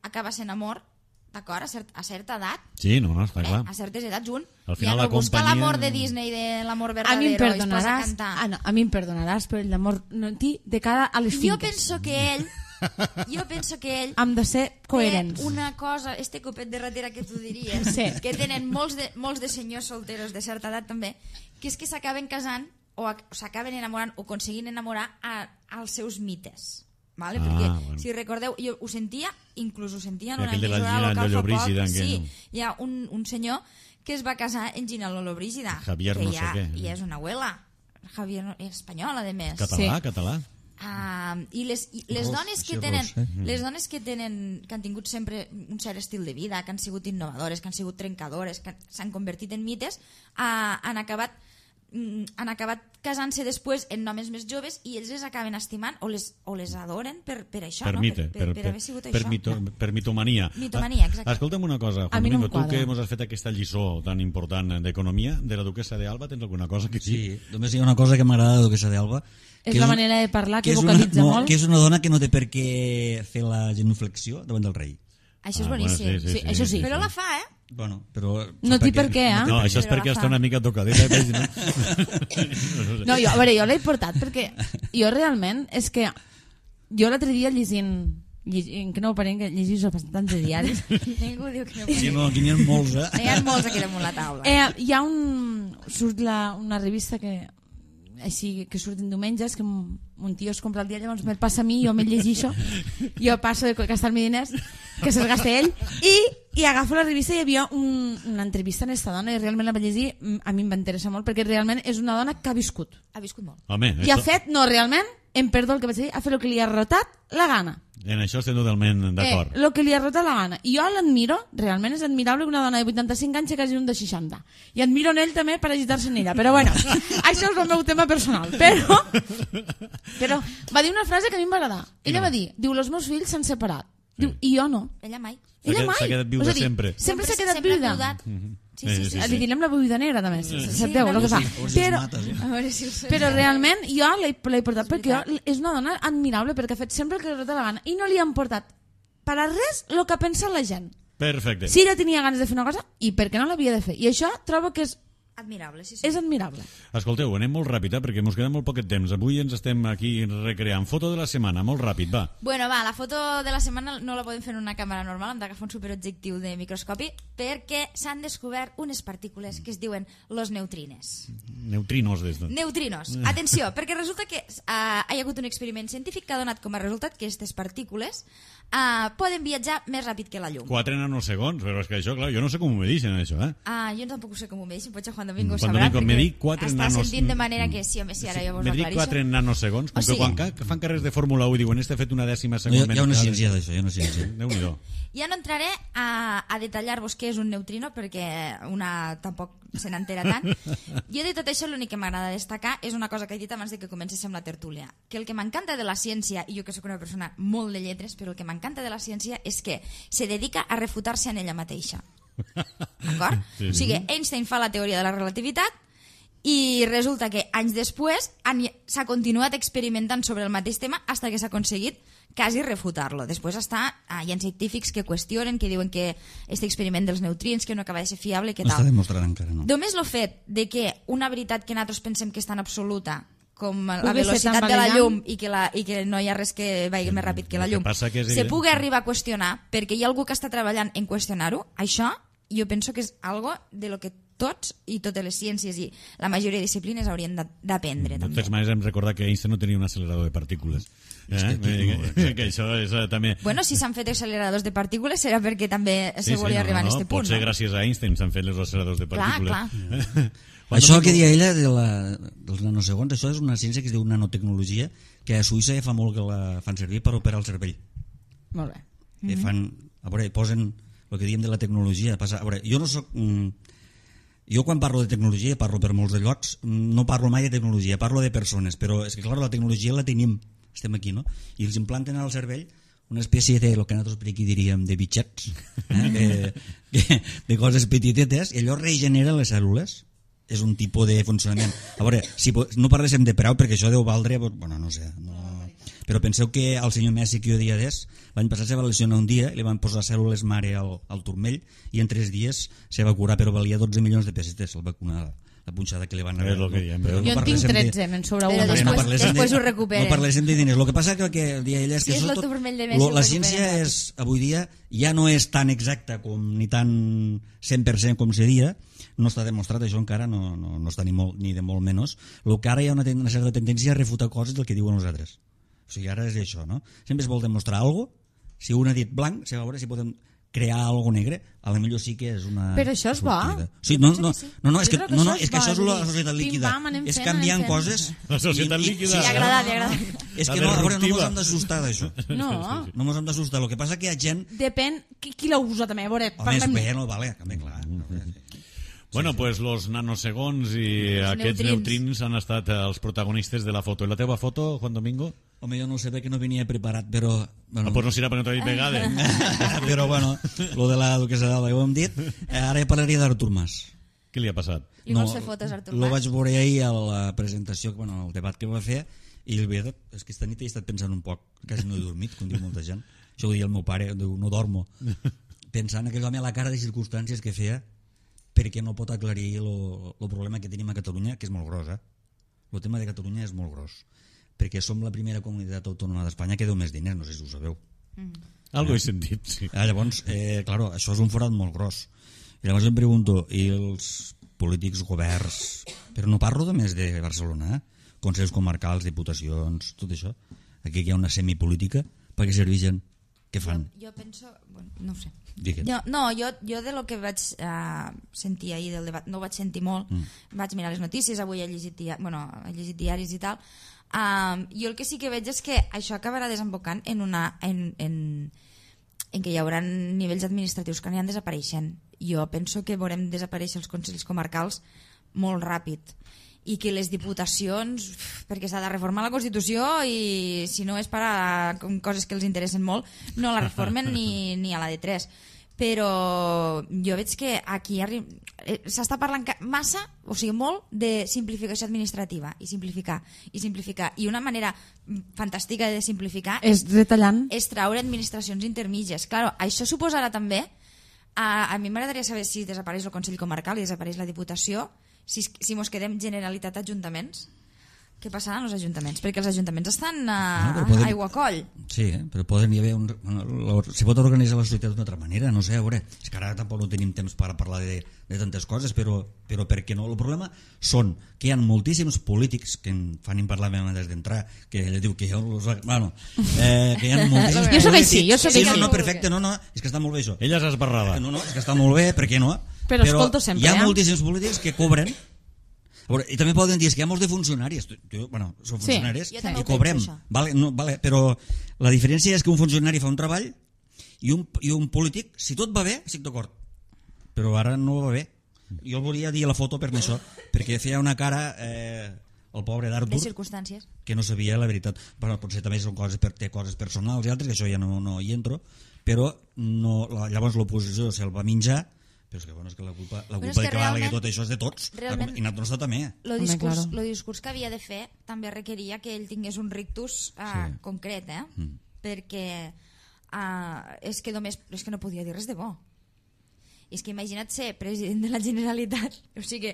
acaba sent amor, d'acord, a certa edat. Sí, no, està clar. A certes edats un ja no busca l'amor de Disney, de l'amor verdadero, i es posa a cantar. A mi em perdonaràs, però l'amor de cara a les finques. Jo penso que ell hem de ser coherents. Una cosa, este copet de ratera que tu diries, que tenen molts de senyors solteros de certa edat també, que és que s'acaben casant o s'acaben enamorant o aconseguint enamorar als seus mites. Vale? Perquè, si recordeu, jo ho sentia, inclús ho sentia en una emissora local fa poc. Sí, hi ha un senyor que es va casar en Gina Lollobrigida, Javier no sé què. I és una abuela. Javier espanyol, a més. Català. I les dones que tenen que han tingut sempre un cert estil de vida, que han sigut innovadores, que han sigut trencadores, que s'han convertit en mites, han acabat casant-se després en homes més joves i ells les acaben estimant o les adoren per això, per mite, per haver sigut això. Per mitomania. Exacte. Escolta'm una cosa, Juan Domingo, tu que ens has fet aquesta lliçó tan important d'economia, de la duquesa d'Alba, tens alguna cosa que sí? Només hi ha una cosa que m'agrada de la duquesa d'Alba, és la manera de parlar, que vocalitza molt. Que és una dona que no té per què fer la genuflexió davant del rei. Això és boníssim. Sí, això sí. Però la fa, Bueno, però... No té per què, No, això és perquè està una mica tocadeta. No, jo l'he portat perquè jo realment és que jo l'altre dia llegint que no ho parem, que llegís bastants de diaris. Ningú diu que no ho parem. Sí, no, aquí n'hi ha molts, N'hi ha molts aquí damunt la taula. Hi ha surt una revista que surten diumenges, que un tio es compra el dia, llavors me'l passa a mi, jo me'l llegeixo, jo passo de gastar-me diners, que se'ls gasta ell, i agafo la revista i hi havia una entrevista en aquesta dona i realment la vaig llegir, a mi em va interessar molt perquè realment és una dona que ha viscut. Ha viscut molt. Home, I ha fet, realment, em perdo el que vaig dir, ha fet el que li ha rotat la gana. En això estem totalment d'acord. El que li ha rotat la gana. I jo l'admiro, realment és admirable que una dona de 85 anys que hagi un de 60. I admiro en ell també per agitar-se en ella. Però bueno, això és el meu tema personal. Però va dir una frase que a mi em va agradar. Ella va dir, els meus fills s'han separat. Diu, i jo no. Ella mai. S'ha quedat viuda sempre. Sempre s'ha quedat viuda. Sí. Li direm la viuda negra també, sabeu el que fa. Però realment jo l'he portat perquè és una dona admirable perquè ha fet sempre el que li rota la gana i no li han portat per a res el que pensa la gent. Perfecte. Si ella tenia ganes de fer una cosa i per què no l'havia de fer. I això trobo que és admirable, sí. És admirable. Escolteu, anem molt ràpid, perquè ens queda molt poquet temps. Avui ens estem aquí recreant. Foto de la setmana, molt ràpid, va. Bueno, la foto de la setmana no la podem fer en una càmera normal, hem d'agafar un superobjectiu de microscopi, perquè s'han descobert unes partícules que es diuen los neutrines. Neutrinos, des de... Neutrinos. Atenció, perquè resulta que hi ha hagut un experiment científic que ha donat com a resultat que aquestes partícules poden viatjar més ràpid que la llum. 4 nanosegons, però és que això, clar, jo no sé com ho medixen, això, Jo tampoc sé com ho medixen, potser Juan Domingo ho sabrà, perquè està sentint de manera que sí, home, sí, ara jo vos ho aclarisco. Me dic 4 nanosegons, com que quan fan carrers de Fórmula 1 i diuen, fet una dècima segon... Hi ha una ciència d'això, hi ha una ciència. Déu-n'hi-do. Ja no entraré a detallar-vos què és un neutrino, perquè una tampoc se n'entera tant. Jo de tot això l'únic que m'agrada destacar és una cosa que he dit abans de que comencéssim la tertúlia, que el que m'encanta de la ciència, i jo que soc una persona molt de lletres, però el que m'encanta de la ciència és que se dedica a refutar-se en ella mateixa. D'acord? Sí. O sigui, Einstein fa la teoria de la relativitat i resulta que anys després s'ha continuat experimentant sobre el mateix tema fins que s'ha aconseguit quasi refutar-lo. Després hi ha científics que qüestionen, que diuen que aquest experiment dels neutrins que no acaba de ser fiable, que tal. No està demostrat encara, no. Només el fet de que una veritat que nosaltres pensem que és tan absoluta com la velocitat de la llum i que no hi ha res que vagi més ràpid que la llum, se pugui arribar a qüestionar perquè hi ha algú que està treballant en qüestionar-ho, això jo penso que és algo de lo que tots i totes les ciències i la majoria de disciplines haurien d'aprendre. De totes maneres hem recordat que Einstein no tenia un accelerador de partícules. Que això és també... Bueno, si s'han fet acceleradors de partícules serà perquè també se volia arribar a aquest punt. Potser gràcies a Einstein s'han fet els acceleradors de partícules. Clar. Això que deia ella dels nanosegons, això és una ciència que es diu nanotecnologia, que a Suïssa ja fa molt que la fan servir per operar el cervell. Molt bé. A veure, posen el que diem de la tecnologia. A veure, jo no soc... Jo quan parlo de tecnologia, parlo per molts de llocs, no parlo mai de tecnologia, parlo de persones, però és que clar, la tecnologia la tenim, estem aquí, no? I els implanten al cervell una espècie de, el que nosaltres per aquí diríem, de bitxets, de coses petitetes, i allò regenera les cèl·lules. És un tipus de funcionament. A veure, si no parléssim de preu, perquè això deu valdre, bueno, no sé, no... Però penseu que el senyor Messi que jo dia d'és, l'any passat se va lesionar un dia, li van posar cèl·lules mare al turmell i en 3 dies se va curar, però valia 12 milions de pessetes el vacunar, la punxada que li van anar. Jo en tinc 13, me'n sobra una. Però després ho recuperen. No parléssim de diners. El que passa que dia ella és que el turmell de Messi la ciència és, avui dia ja no és tan exacta com ni tan 100% com seria, no està demostrat, això encara no està ni de molt menys. El que ara hi ha una certa tendència a refutar coses del que diuen els altres. O sigui, ara és això, no? Sempre es vol demostrar alguna cosa. Si un ha dit blanc, a veure si podem crear alguna negre, a lo millor sí que és una... Però això és bo. Sí, no, és que això és la societat líquida. És canviant coses... La societat líquida. Sí, li agrada. És que no mos hem d'assustar d'això. No. No mos hem d'assustar. El que passa que hi ha gent... Depèn qui la usa també, a veure, parlem... Home, no, vale, també, clar. Bueno, pues los nanosegons i aquests neutrins han estat els protagonistes de la foto. I la teva foto, Juan Domingo? Home, jo no sé perquè no venia preparat, però... Bueno, pues no serà perquè no t'ho he dit vegades. Però bueno, lo de la duquesa d'Alba, ja ho hem dit. Ara parlaria d'Artur Mas. Què li ha passat? I vols fer fotos, Artur Mas? Lo vaig veure ahir a la presentació, el debat que va fer, i la veritat és que esta nit he estat pensant un poc, quasi no he dormit, com diu molta gent. Això ho deia el meu pare, diu, no dormo. Pensant en aquell home a la cara de circumstàncies que feia perquè no pot aclarir el problema que tenim a Catalunya, que és molt gros, El tema de Catalunya és molt gros, perquè som la primera comunitat autònoma d'Espanya que deu més diners, no sé si ho sabeu. Algo he sentit, sí. Llavors, claro, això és un forat molt gros. I llavors em pregunto, i els polítics, governs, però no parlo només de Barcelona, consells comarcals, diputacions, tot això, aquí hi ha una semipolítica, per què serveixen? Què fan? Jo penso... Bueno, no ho sé. Jo de lo que vaig sentir ahir del debat, no ho vaig sentir molt, vaig mirar les notícies, avui he llegit diaris i tal, jo el que sí que veig és que això acabarà desembocant en que hi haurà nivells administratius que aniran desapareixent. Jo penso que veurem desaparèixer els consells comarcals molt ràpid, i que les diputacions, perquè s'ha de reformar la Constitució i si no és per a coses que els interessen molt, no la reformen ni a la de 3. Però jo veig que aquí s'està parlant massa, o sigui molt, de simplificació administrativa i simplificar. I una manera fantàstica de simplificar és retallant, és traure administracions intermitges. Claro, això suposarà també, a mi m'agradaria saber si desapareix el Consell Comarcal i desapareix la Diputació, si mos quedem Generalitat Ajuntaments, què passarà amb els ajuntaments? Perquè els ajuntaments estan a aigua coll. Sí, però poden hi haver se pot organitzar la societat d'una altra manera, no sé, a veure, és que ara tampoc no tenim temps per parlar de tantes coses, però per què no? El problema són que hi ha moltíssims polítics que en fan parlar des d'entrar, que ella diu que jo bueno, que hi ha moltíssims jo soc així, sí, no, perfecte, no, és que està molt bé això. Ella és esbarrada. No, és que està molt bé, per què no? Però escolto sempre, hi ha moltíssims polítics que cobren. I també poden dir que hi ha molts de funcionaris, són funcionaris i cobrem, vale, però la diferència és que un funcionari fa un treball i un polític, si tot va bé, estic d'acord, però ara no va bé. Jo el volia dir a la foto per això, perquè feia una cara el pobre d'Artur, que no sabia la veritat. Potser també té coses personals i altres, que això ja no hi entro, però llavors l'oposició se'l va menjar. Però és que la culpa que valgui tot això és de tots, i nosaltres també. El discurs que havia de fer també requeria que ell tingués un rictus concret, perquè és que no podia dir res de bo. És que imagina't ser president de la Generalitat, o sigui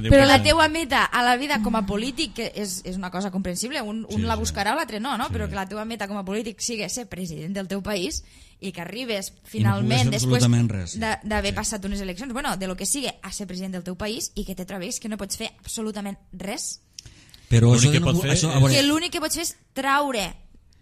però la teua meta a la vida com a polític, que és una cosa comprensible, un la buscarà o l'altre no, però que la teua meta com a polític sigui ser president del teu país i que arribes finalment després d'haver passat unes eleccions, de lo que sigui, a ser president del teu país i que te trobis que no pots fer absolutament res, però que l'únic que pots fer és traure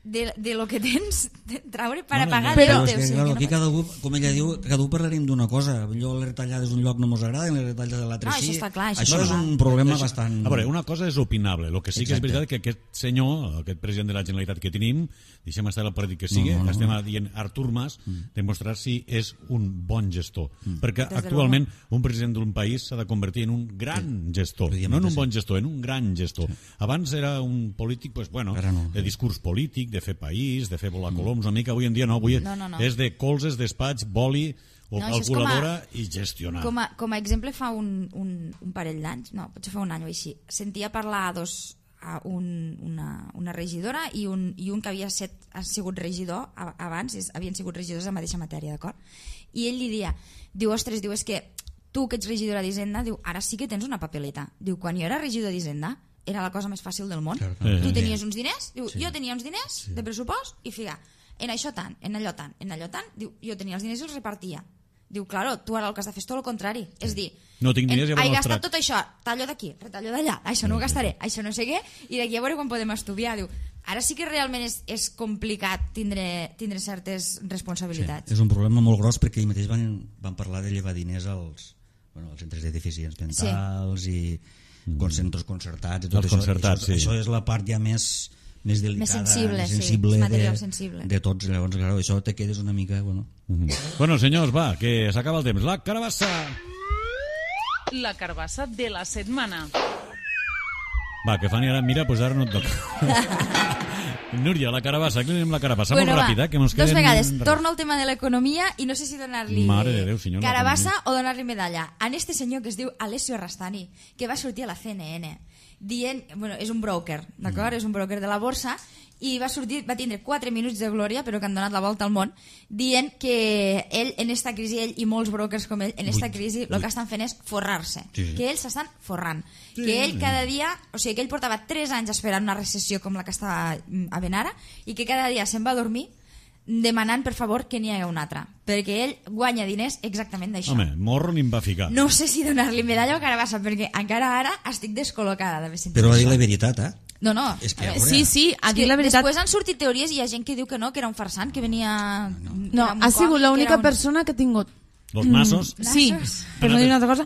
de lo que tens de traure per a pagar però el teu. és que, claro, aquí cada un, com ella diu, cada un parlarem d'una cosa. Allò les retallades d'un lloc no mos agrada, les retallades de l'altre No, sí. això està clar, Això és un problema bastant... A veure, una cosa és opinable. El que sí que és veritat que aquest senyor, aquest president de la Generalitat que tenim, deixem estar el partit que sigui, estem dient Artur Mas, demostrar si és un bon gestor. Perquè actualment un president d'un país s'ha de convertir en un gran gestor. No en un bon gestor, en un gran gestor. Abans era un polític, pues, bueno, de discurs polític, de fer país, de fer volar coloms una mica. Avui en dia no, avui és de colzes, despatx, boli o calculadora i gestionar. Com a exemple, fa un parell d'anys, no, potser fa un any o així, sentia parlar una regidora i un que havia sigut regidor abans, havien sigut regidors de la mateixa matèria, d'acord? I ell li diu, ostres, és que tu que ets regidora d'Hisenda, diu, ara sí que tens una papeleta. Diu, quan jo era regidor d'Hisenda era la cosa més fàcil del món. Tu tenies uns diners, diu, jo tenia uns diners de pressupost i figa, en això tant, en allò tant, en allò tant, diu, jo tenia els diners i els repartia. Diu, claro, tu ara el que has de fer és tot el contrari. És dir, no tinc diners, he gastat tot això, tallo d'aquí, retallo d'allà, això no ho gastaré, això no sé què, i d'aquí a veure quan podem estudiar. Diu, ara sí que realment és complicat tindre certes responsabilitats. És un problema molt gros perquè ells mateix van parlar de llevar diners als centres de deficients mentals i centres concertats i tot això és la part ja més delicada, més sensible de tots. Llavors, clar, això te quedes una mica... Bueno, senyors, va, que s'acaba el temps. La carabassa! La carbassa de la setmana. Va, que Fanny ara mira, doncs ara no et toca. Núria, la carabassa, aquí tenim la carabassa, molt ràpida, que ens queden... Dos vegades, torno al tema de l'economia i no sé si donar-li carabassa o donar-li medalla. A este senyor que es diu Alessio Rastani, que va sortir a la CNN dient, és un broker, d'acord? És un broker de la borsa i va tindre 4 minuts de glòria, però que han donat la volta al món, dient que ell, en esta crisi, ell i molts brokers com ell, en esta crisi, el que estan fent és forrar-se. Que ells s'estan forrant. Que ell cada dia, o sigui, que ell portava 3 anys esperant una recessió com la que estava havent ara, i que cada dia se'n va a dormir demanant, per favor, que n'hi hagi una altra. Perquè ell guanya diners exactament d'això. Home, morro ni em va ficar. No sé si donar-li medalla o carabassa, perquè encara ara estic descol·locada d'haver sentit però va dir això. la veritat, No. És que, sí, ha dit la veritat. Després han sortit teories i hi ha gent que diu que no, que era un farsant, que venia... No, ha sigut l'única persona que ha tingut... Los nassos? Sí, per no dir una altra cosa,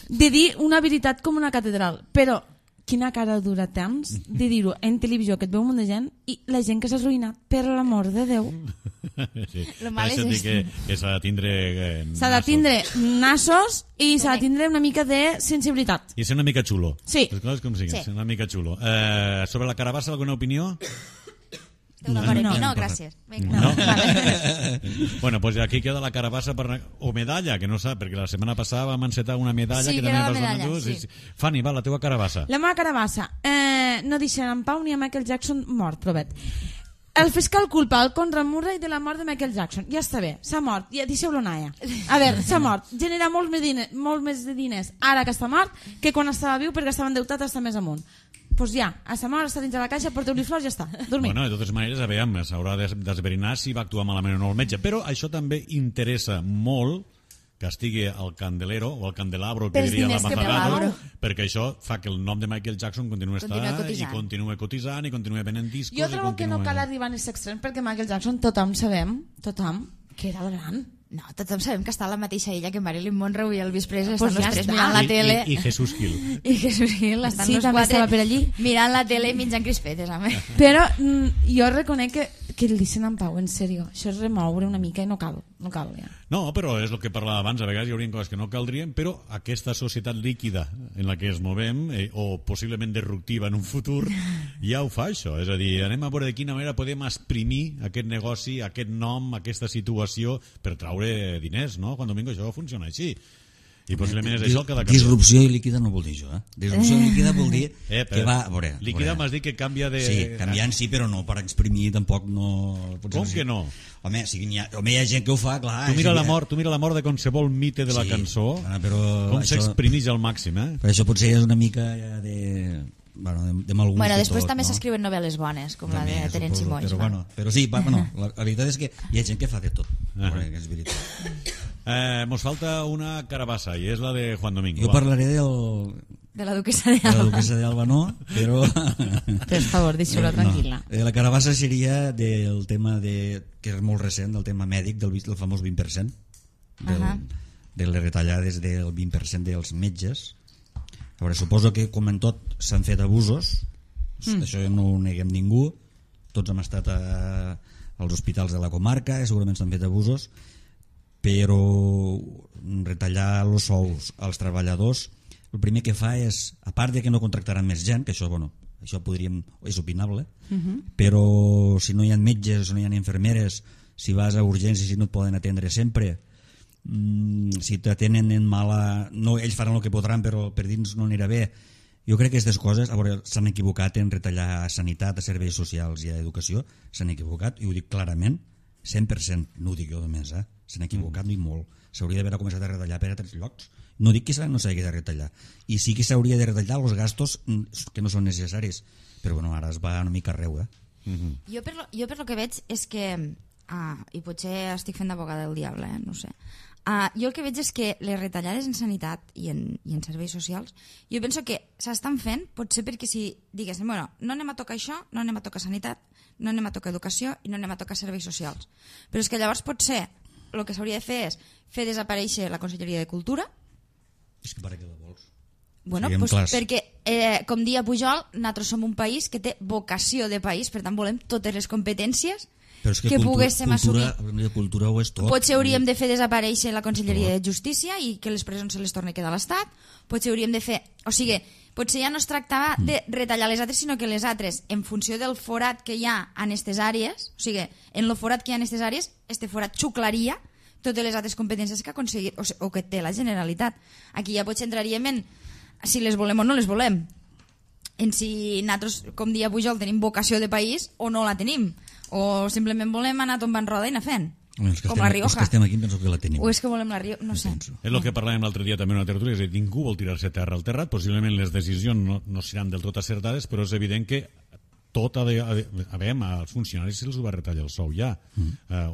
de dir una veritat com una catedral, però quina cara dura tens de dir-ho en televisió, que et veu un munt de gent, i la gent que s'ha arruïnat, per l'amor de Déu. Sí. Lo mal és que s'ha de tindre s'ha de tindre nassos i s'ha de tindre una mica de sensibilitat. I ser una mica xulo. Sí. Les coses com siguin, ser una mica xulo. Sobre la carabassa, alguna opinió? No, gràcies. No? Vale. Bueno, pues aquí queda la carabassa o medalla, que no sap, perquè la setmana passada vam encetar una medalla que també vas donar tu. Sí. Fanny, va, la teva carabassa. La meva carabassa. No deixen en pau ni a Michael Jackson mort, provet. El fiscal culpa el Conrad Murray de la mort de Michael Jackson. Ja està bé, s'ha mort, ja deixeu-lo anar. A veure, s'ha mort, genera molt més de diners ara que està mort que quan estava viu, perquè estava endeutat està més amunt. Doncs ja, a sa mort està dins de la caixa, porteu-li flors, ja està, dormir. Bueno, de totes maneres, s'haurà d'esbrinar si va actuar malament o no el metge, però això també interessa molt que estigui al candelero o al candelabro, que diria la Mazagato, perquè això fa que el nom de Michael Jackson continua estant i continua cotitzant i continua venent discos. Jo trobo que no cal arribar a aquest extrem, perquè Michael Jackson tothom sabem, que era el gran. No, tothom sabem que està a la mateixa illa que Marilyn Monroe i Elvis Presley, estan els tres mirant la tele. I Jesús Gil. I Jesús Gil, estan els quatre per allí mirant la tele i menjant crispetes. Però jo reconec que el deixen en pau, en sèrio. Això és remoure una mica i no cal ja. No, però és el que parlava abans, a vegades hi haurien coses que no caldrien, però aquesta societat líquida en la que ens movem, o possiblement disruptiva en un futur, ja ho fa això. És a dir, anem a veure de quina manera podem exprimir aquest negoci, aquest nom, aquesta situació per traure diners, no? Quan domingo això funciona així. I possiblement és això el que ha de canviar. Disrupció líquida no vol dir això, Disrupció líquida vol dir que va... Líquida m'has dit que canvia de... Sí, canviant sí, però no per exprimir tampoc no... Com que no? Home, hi ha gent que ho fa, clar... Tu mira la mort de qualsevol mite de la cançó, com s'exprimeix al màxim, Però això potser és una mica de mal gust. Després també s'escriuen novel·les bones, com la de Terenci Moix. Però sí, la veritat és que hi ha gent que fa de tot. És veritat. Mos falta una carabassa i és la de Juan Domingo. Jo parlaré De la duquesa de de la Alba. duquesa d'Alba, no, però... Per favor, deixeu-la tranquil·la. La carabassa seria del tema que és molt recent, del tema mèdic, del famós 20%, de les retallades del 20% dels metges. A veure, suposo que, com en tot, s'han fet abusos, això no ho neguem ningú, tots hem estat als hospitals de la comarca, segurament s'han fet abusos, però retallar els sous als treballadors, el primer que fa és, a part de que no contractaran més gent, que això, bueno, això és opinable, però si no hi ha metges, si no hi ha infermeres, si vas a urgències i no et poden atendre sempre, si t'atenen en mala... No, ells faran el que podran, però per dins no anirà bé. Jo crec que aquestes coses, a veure, s'han equivocat en retallar a sanitat, a serveis socials i a educació, s'han equivocat, i ho dic clarament, 100%, no ho dic jo només, s'han equivocat i molt. S'hauria d'haver començat a retallar per a altres llocs. No dic que no s'hagi de retallar. I sí que s'hauria de retallar els gastos que no són necessaris. Però bueno, ara es va una mica arreu, Jo per lo que veig és que, i potser estic fent d'abogada del diable, no sé, jo el que veig és que les retallades en sanitat i en serveis socials, jo penso que s'estan fent potser perquè si diguéssim, bueno, no anem a tocar això, no anem a tocar sanitat, no anem a tocar educació i no anem a tocar serveis socials. Però és que llavors potser el que s'hauria de fer és fer desaparèixer la Conselleria de Cultura. És que para què la vols? Bueno, pues perquè, com dia Pujol, nosaltres som un país que té vocació de país, per tant volem totes les competències que poguéssim assumir. Cultura ho és tot. Potser hauríem de fer desaparèixer la Conselleria de Justícia i que les presons se les torni a quedar a l'Estat. Potser hauríem de fer... O sigui, potser ja no es tractava de retallar les altres, sinó que les altres, en funció del forat que hi ha en aquestes àrees, o sigui, en el forat que hi ha en aquestes àrees, este forat xuclaria totes les altres competències que ha aconseguit o que té la Generalitat. Aquí ja potser entraríem en si les volem o no les volem, en si nosaltres, com dia Pujol, tenim vocació de país o no la tenim, o simplement volem anar tombant roda i anar fent, com la Rioja. Els que estem aquí penso que la tenim. O és que volem la Rioja, no sé. És el que parlàvem l'altre dia també en una tertúlia, és a dir, ningú vol tirar-se terra al terrat, possiblement les decisions no seran del tot acertades, però és evident que tot als funcionaris se'ls va retallar el sou ja,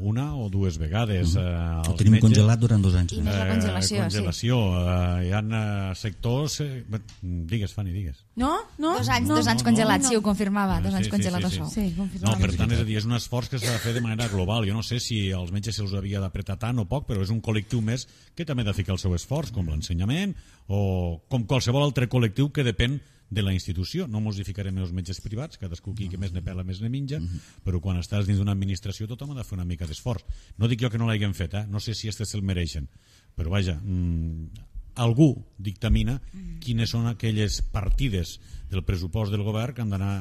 una o dues vegades. Ho tenim congelat durant 2 anys. I més la congelació. Hi ha sectors... Digues, Fanny, digues. No? 2 anys congelat, sí, ho confirmava, 2 anys congelat el sou. Sí, confirmava. No, per tant, és a dir, és un esforç que s'ha de fer de manera global. Jo no sé si als metges se'ls havia d'apretar tant o poc, però és un col·lectiu més que també ha de ficar el seu esforç, com l'ensenyament o com qualsevol altre col·lectiu que depèn de la institució. No mos hi ficarem els metges privats, cadascú qui que més ne pela més ne menja, però quan estàs dins d'una administració tothom ha de fer una mica d'esforç. No dic jo que no l'hagin fet, no sé si este se'l mereixen, però vaja, algú dictamina quines són aquelles partides del pressupost del govern que han d'anar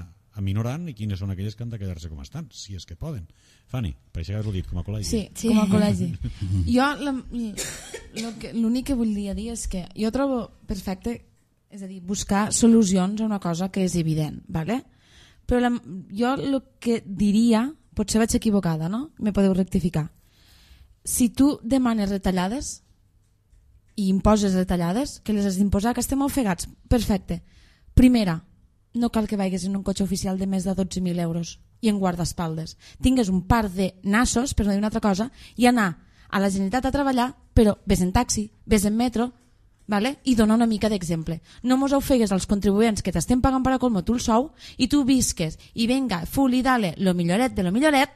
aminorant i quines són aquelles que han de quedar-se com estan, si és que poden. Fanny, per això haver-ho dit, com a col·legi. Sí, com a col·legi. Jo l'únic que volia dir és que jo trobo perfecte, és a dir, buscar solucions a una cosa que és evident, ¿vale? Però jo el que diria, potser vaig equivocada, no? Me podeu rectificar. Si tu demanes retallades i imposes retallades, que les has d'imposar, que estem ofegats, perfecte. Primera, no cal que vagis en un cotxe oficial de més de 12.000 euros i en guardaespaldes. Tingues un par de nassos, per no dir una altra cosa, i anar a la Generalitat a treballar, però ves en taxi, ves en metro, ¿vale? I dona una mica d'exemple. No mos ofegues als contribuents que t'estem pagant per a colmo tu el sou i tu visques i venga, full i dale, lo milloret de lo milloret,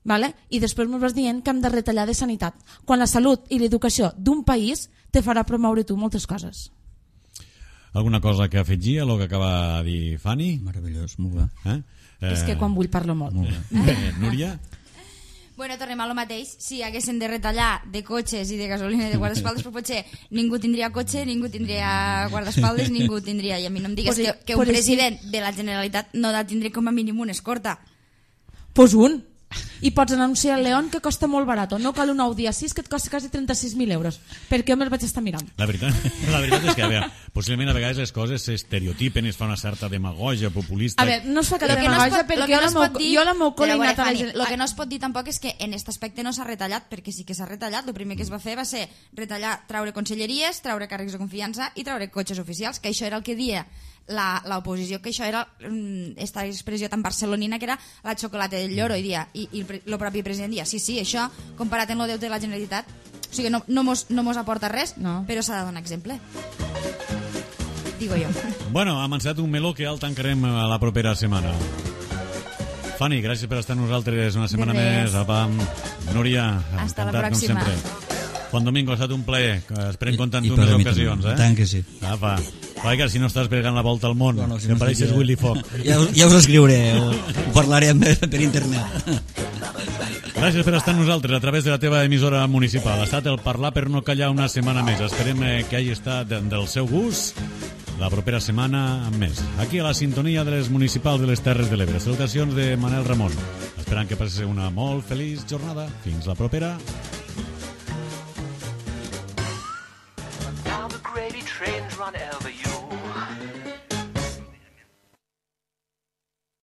¿vale? I després mos vas dient que hem de retallar de sanitat, quan la salut i l'educació d'un país te farà promoure tu moltes coses. Alguna cosa que afegir a lo que acaba de dir Fanny? Meravellós, molt bé. És que quan vull parlo molt. Núria? Bueno, tornem a lo mateix. Si haguessin de retallar de cotxes i de gasolina i de guardaespaldes, però potser ningú tindria cotxe, ningú tindria guardaespaldes, ningú tindria... I a mi no em digues que un president de la Generalitat no ha de tindre com a mínim una escorta. Pues un. I pots anunciar al León que costa molt barat. No cal un Audi A6 que et costa quasi 36.000 euros. Perquè jo me'l vaig estar mirant. La veritat és que, a veure, possiblement a vegades les coses s'estereotipen i es fa una certa demagogia populista. A veure, no es fa cap demagogia perquè jo la m'ho col·legat a la gent. El que no es pot dir tampoc és que en aquest aspecte no s'ha retallat, perquè sí que s'ha retallat. El primer que es va fer va ser retallar, traure conselleries, traure càrrecs de confiança i traure cotxes oficials, que això era el que dia l'oposició, que això era esta expressió tan barcelonina que era la xocolata del lloro, i el propi president dia, sí, això, comparat amb el deute de la Generalitat, O sigui, no mos aporta res, No. però s'ha de donar exemple. Digo jo. Bueno, hem encetat un meló que ja el tancarem a la propera setmana. Fanny, gràcies per estar amb nosaltres una setmana res. més. Apa, Núria, Hasta la encantat, com pròxima. sempre. Juan Domingo, ha estat un plaer. Esperem comptar amb I tu per més a mi ocasions, també. eh? Tant que sí. Apa, vaja, si no estàs pegant la volta al món, Bueno, si que no pareixes estic, Willy Fogg. Ja us escriuré, ho parlarem per internet. Gràcies per estar amb nosaltres a través de la teva emissora municipal. Ha estat el Parlar per no callar una setmana més. Esperem que hagi estat del seu gust. La propera setmana amb més. Aquí a la sintonia de les municipals de les Terres de l'Ebre. Salutacions de Manel Ramon. Esperant que passi una molt feliç jornada. Fins la propera. Now the gravy trains run Elvis.